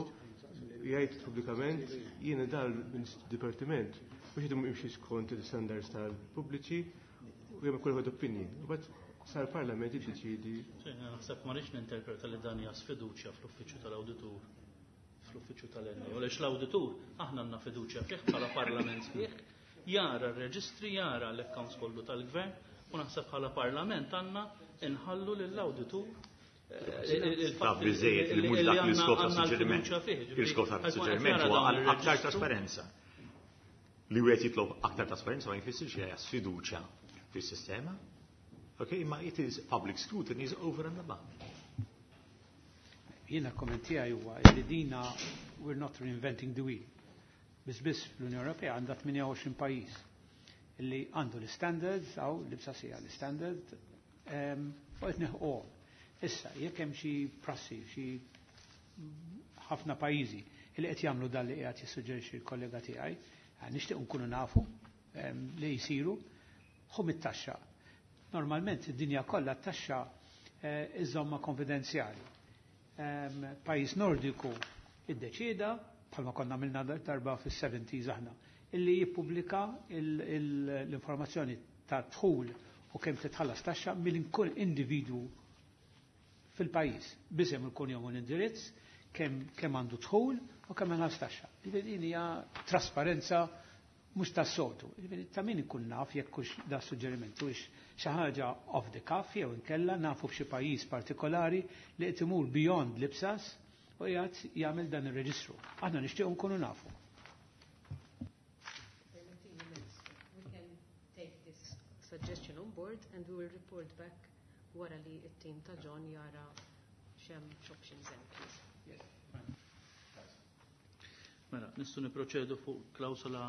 jgħid pubblikament jiena dal dipartiment mhux qed jimxi skont il-standards tal-pubbliċi u jagħmel qualified opinion. U mbagħad sar parlament jiddeċiedi. Naħseb ma rridx ninterpreta li dan hija sfiduċja fl-uffiċċju tal-awditur fl-uffiċċju tal-NAO. Għaliex l-awditur aħna għandna fiduċja fih bħala parlament fih, jara r-reġistri, jara l-accounts kollu tal-gvern u naħseb bħala parlament għandna inħallu lill-awditur Taf biżejjed li mhux dak l-iskop ta' suġġeriment. Il-iskop ta' suġġeriment huwa għal aktar trasparenza. Li wieħed jitlob aktar trasparenza ma jfissirx li hija sfiduċja fis-sistema. Okay, imma it is public scrutiny is over and above. Jiena comment tiegħi huwa li dina we're not reinventing the wheel. Biss biss l-Unjoni Ewropea għandha 28 pajjiż li għandu l-standards għaw l-IPSAS hija l-standard u qed neħquhom. Issa, jekk hemm xi prassi, xi ħafna pajjiżi li qed jagħmlu dan li qiegħed jissuġġerixxi l-kollega tiegħi, nixtieq nkunu nafu li jsiru ħu mit-taxxa. Normalment id-dinja kollha t-taxxa iżomma konfidenzjali. Pajjiż Nordiku iddeċieda, bħalma konna għamilna darba fis-70s aħna, illi jippubblika l-informazzjoni ta' dħul u kemm titħallas taxxa minn kull individwu fil-pajjiż. Bisem ikun jom l-indirizz, kemm għandu dħul u kemm ħallas taxxa. Din hija trasparenza mhux tas-soltu. Ta' min ikun naf jekk hux da suġġeriment hux xi ħaġa off the cuff jew inkella nafu f'xi pajjiż partikolari li qed imur beyond l-IPSAS u qiegħed jagħmel dan ir-reġistru. Aħna nixtiequ nkunu nafu. We can take this suggestion on board and we will report back wara li t-team ta' John jara x'hemm options hemm, please. Mela, nistgħu niproċedu fuq klawsola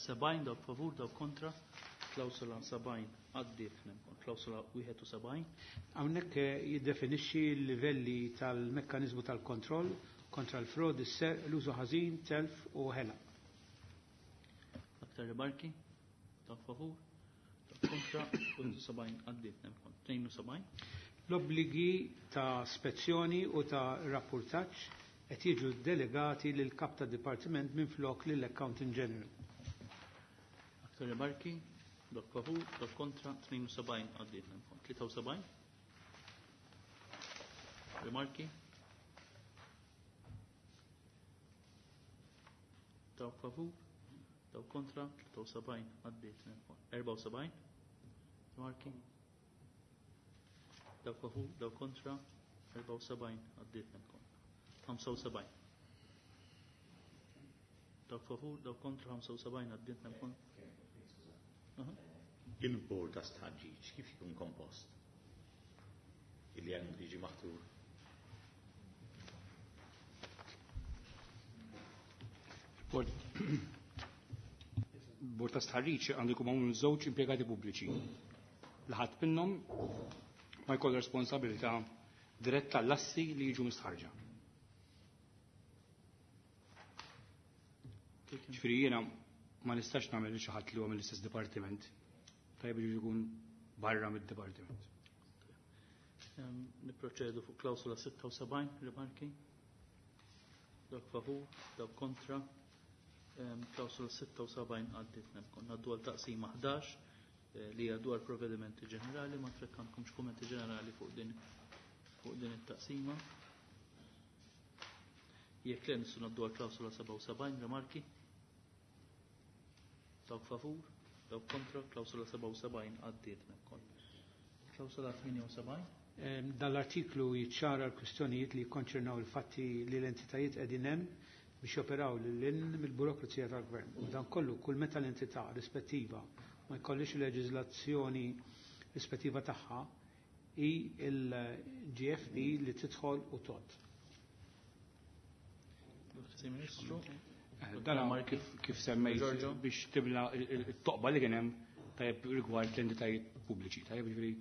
70 dawk favur, dawk kontra. Klawsola 70 għaddiet, klawsola 71. Hawnhekk jiddefinixxi l-livelli tal-mekkaniżmu tal-kontroll kontra l-frod, is-serq, l-użu ħażin, telf u ħela. Aktar rimarki? Dawk favur? Dawk kontra? 71 għaddiet, 72. L-obbligi ta' spezzjoni u ta' rapportaġġ qed jiġu delegati lil kap ta' dipartiment minn flok lill Accountant General. Aktar rimarki? Dawk favur, dawk kontra, 72 għaddiet, 73. Rimarki? Dawk favur, dawk kontra, 73 għaddiet, 74. Rimarki? Dawk favur, dawk kontra, 74 għaddiet, 75. Dawk favur, dawk kontra, 75 għaddiet. Il-bord ta' stħarriġ kif jkun kompost? Illi għandu jiġi maħtur. Bord ta' stħarriġ għandu jkun magħmul żewġ impjegati pubbliċi. L-ħadd minnhom ma jkollu responsabilità diretta l-assi li jiġu mistħarġa. Ġifieri jiena ma nistax nagħmel xi ħadd li huwa mill-istess dipartiment. Tajjeb li jkun barra mid-dipartiment. Niproċedu fuq klawsula 76, rimarki. Dawk favur, dawk kontra. Klawsula 76 għaddiet nemkon. Ngħaddu għal taqsima 11 li hija dwar provvedimenti ġenerali, ma trekkankomx kummenti ġenerali fuq din it-taqsima. Jekk le nistgħu ngħaddu għal klawsula 77, rimarki. Dawk favur, dawk kontra, klawsola 77 għaddiet ukoll. Klawsola 78. Dal-artiklu jiċċara l-kwistjonijiet li jikkonċernaw il-fatti li l-entitajiet qegħdin hemm biex joperaw lil hinn mill-burokrazija tal-gvern. U dan kollu kull meta l-entità rispettiva ma jkollix il-leġiżlazzjoni rispettiva tagħha hi l-GFP li tidħol u tot. Ministru. Dan kif semmejt biex tibla it-toqba li kien hemm tajjeb rigward l-entitajiet pubbliċi. Tajjeb jiġifieri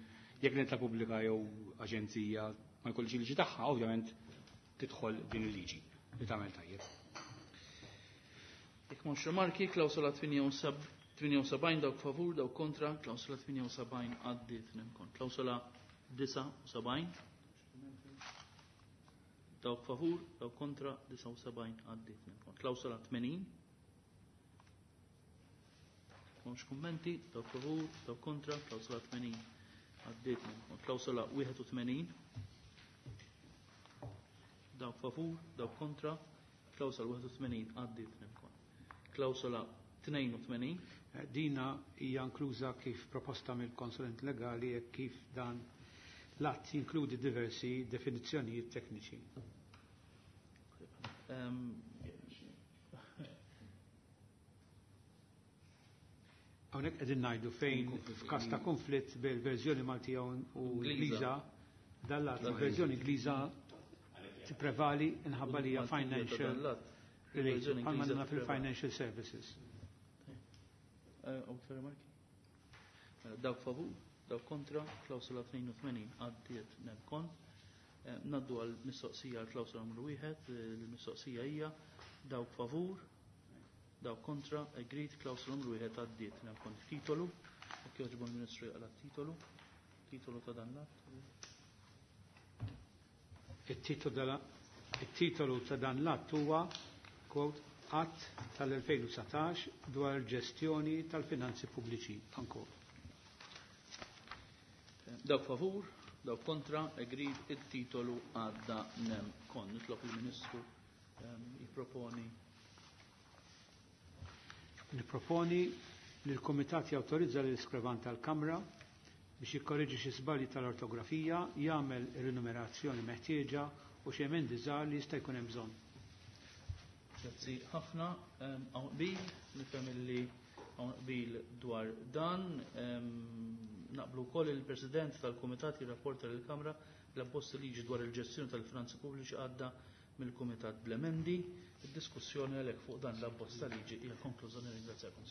jekk l-entità pubblika jew aġenzija ma jkollix il-liġi tagħha, ovvjament tidħol din il-liġi li tagħmel tajjeb. Jekk m'hawnx rimarki, klawsola 78 dawk favur, dawk kontra, klawsola 78 għaddiet nemkon. Klawsola 79 dawk favur, dawk kontra, 79 għaddiet nemkon. Klawsola 80 M'hawnx kummenti, dawk favur, dawk kontra, klawsola 80 għaddiet nemkon. Klawsola 81 dawk favur, dawk kontra, klawsola 81 għaddiet nemkon. Klawsola 82. Dina hija inkluża kif proposta mill-konsulent legali e kif dan l-att jinkludi diversi definizzjonijiet tekniċi. Hawnhekk qegħdin ngħidu fejn f'każ ta' konflitt bil-verżjoni Maltija u Ingliża, dan l-att il-verżjoni Ingliża tipprevali inħabba li hija financial related, bħalma għandna fil-financial services. Dawk favur, dawk kontra, klawsola 82 għaddiet nemkon. Naddu għal mistoqsija għal klawsola numru 1, il-mistoqsija hija dawk favur, dawk kontra, agreed, klawsola numru 1 għaddiet nemkon. Titolu, jekk jogħġbu l-Ministru jaqla titolu, titolu ta' dan l-att. Il-titolu ta' dan l-att huwa, quote, Att tal-2019 dwar ġestjoni tal-finanzi pubbliċi. Unquote. Dawk favur, dawk kontra, agreed, il-titolu għadda nem kon. Nitlob il-Ministru jipproponi. Niproponi li l-Komitat jawtorizza l iskrivan tal-Kamra biex jikkorreġi xi żbalji tal-ortografija, jagħmel ir-rinumerazzjoni meħtieġa u xi emendi żgħar li jista' jkun hemm bżonn. Grazzi ħafna. Hawn qbil, nifhem li hawn qbil dwar dan. Naqblu wkoll il-President tal-Kumitat jirrapporta lill-Kamra l-abbozz liġi dwar il-ġestjoni tal-finanzi pubbliċi għadda mill-Kumitat bl-emendi. Id-diskussjoni għalhekk fuq dan l-abbozz ta' liġi hija konkluża. Nirringrazzjakom.